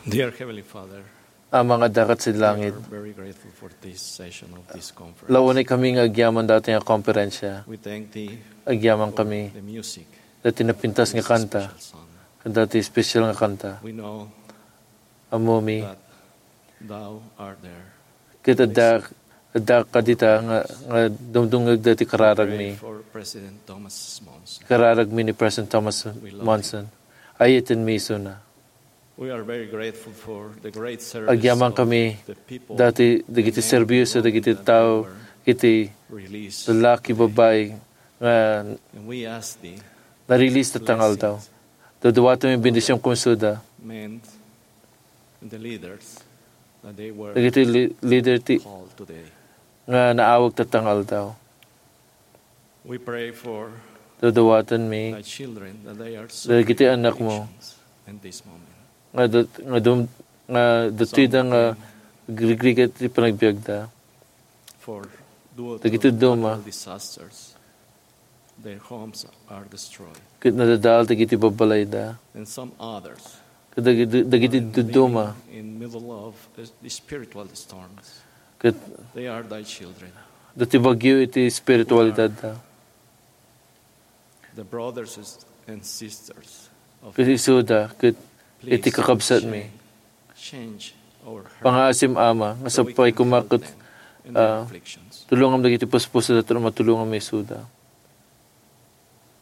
Dear Heavenly Father, Amang adda kat sidi langit, we are very grateful for this session of this conference. Launay kami nga agyaman dayta nga konferensya. We thank thee Agyaman for kami the music, dayta napintas nga this kanta, special song. Ken dayta special nga kanta. We know Ammomi, that thou art there. Ket adda, adda ka dita nga, nga dumdumngeg dayta kararagmi. Pray for President Thomas Monson. Kararagmi ni President Thomas We love Monson. Ayatenmi isuna. We are very grateful for the great service Agyaman of kami the people dayta dagiti and men serbisyo and dagiti women that tao, were iti released lalaki, today. Babai, nga And we ask thee, na-release ta bless tangaldaw. It. Daduatam bendision kumsuda. Men and the leaders that they were Dagiti li-, leader ti called today. Nga naawag ta tangaldaw. We pray for Daduatanmi thy children that they are dagiti suffering anakmo addictions in this moment. Nga dat-, nga dum-, nga datida nga Some of them agrigrigat ti panagbiagda. For due to Dagiti duma. Natural disasters, their homes are destroyed. Ket nadadaal dagiti babbalayda. And some others Ket dagiti, dagiti are living duduma. In middle of the spiritual storms. Ket They are thy children. Dati bagyo iti spiritualidadda. The brothers and sisters of Ket isuda, ket iti Please kakabsatmi. Change, change our heart Pangaasim, Ama, nga so we sapay can koma help ket, them in their ah, afflictions. Tulongam dagiti puspusoda tapno matulongam isuda.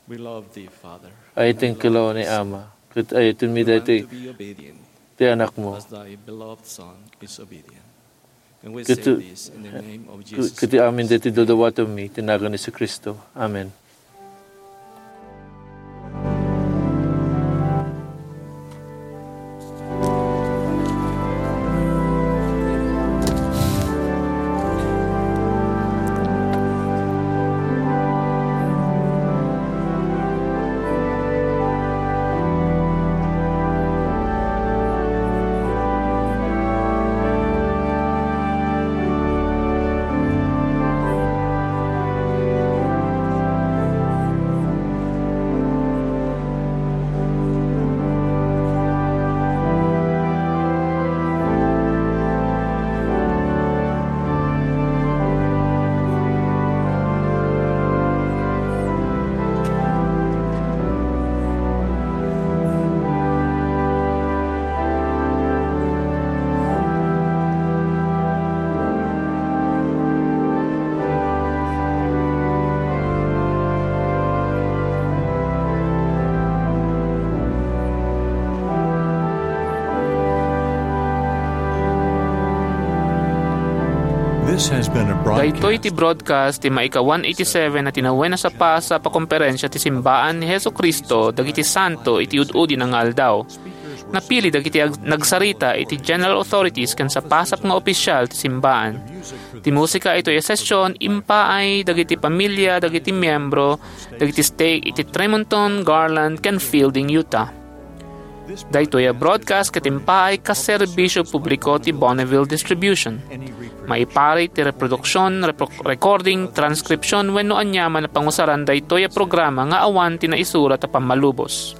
We love thee, Father. Ayaten kalaw ni Ama, ket ayatenmi daytoy ti anakmo. As thy beloved Son is obedient. And we say this in the name of Jesus Christ. Ket amin daytoy daduatanmi, iti nagan ni Jesu-Cristo. Amen. This has been a broadcast. Daytoy ti broadcast ti maika one eighty-seven a tinawen a sapasap a komperensia ti simbaan ni Jesu-Cristo dagiti santo iti ud-udi nga aldaw. Napili dagiti ag-, nagsarita iti general authorities ken sapasap nga opisyal ti simbaan. Ti musika itoy a session impaay dagiti pamilia dagiti miembro dagiti stake iti Tremonton, Garland, ken Fielding, Utah. Daytoy a broadcast ket impaay kas serbisyo publiko ti Bonneville Distribution. Maiparit ti reproduksion, repro-, recording, transcription wenno aniaman a pangusaran daytoy a programa nga awan ti naisurat a pammalubos.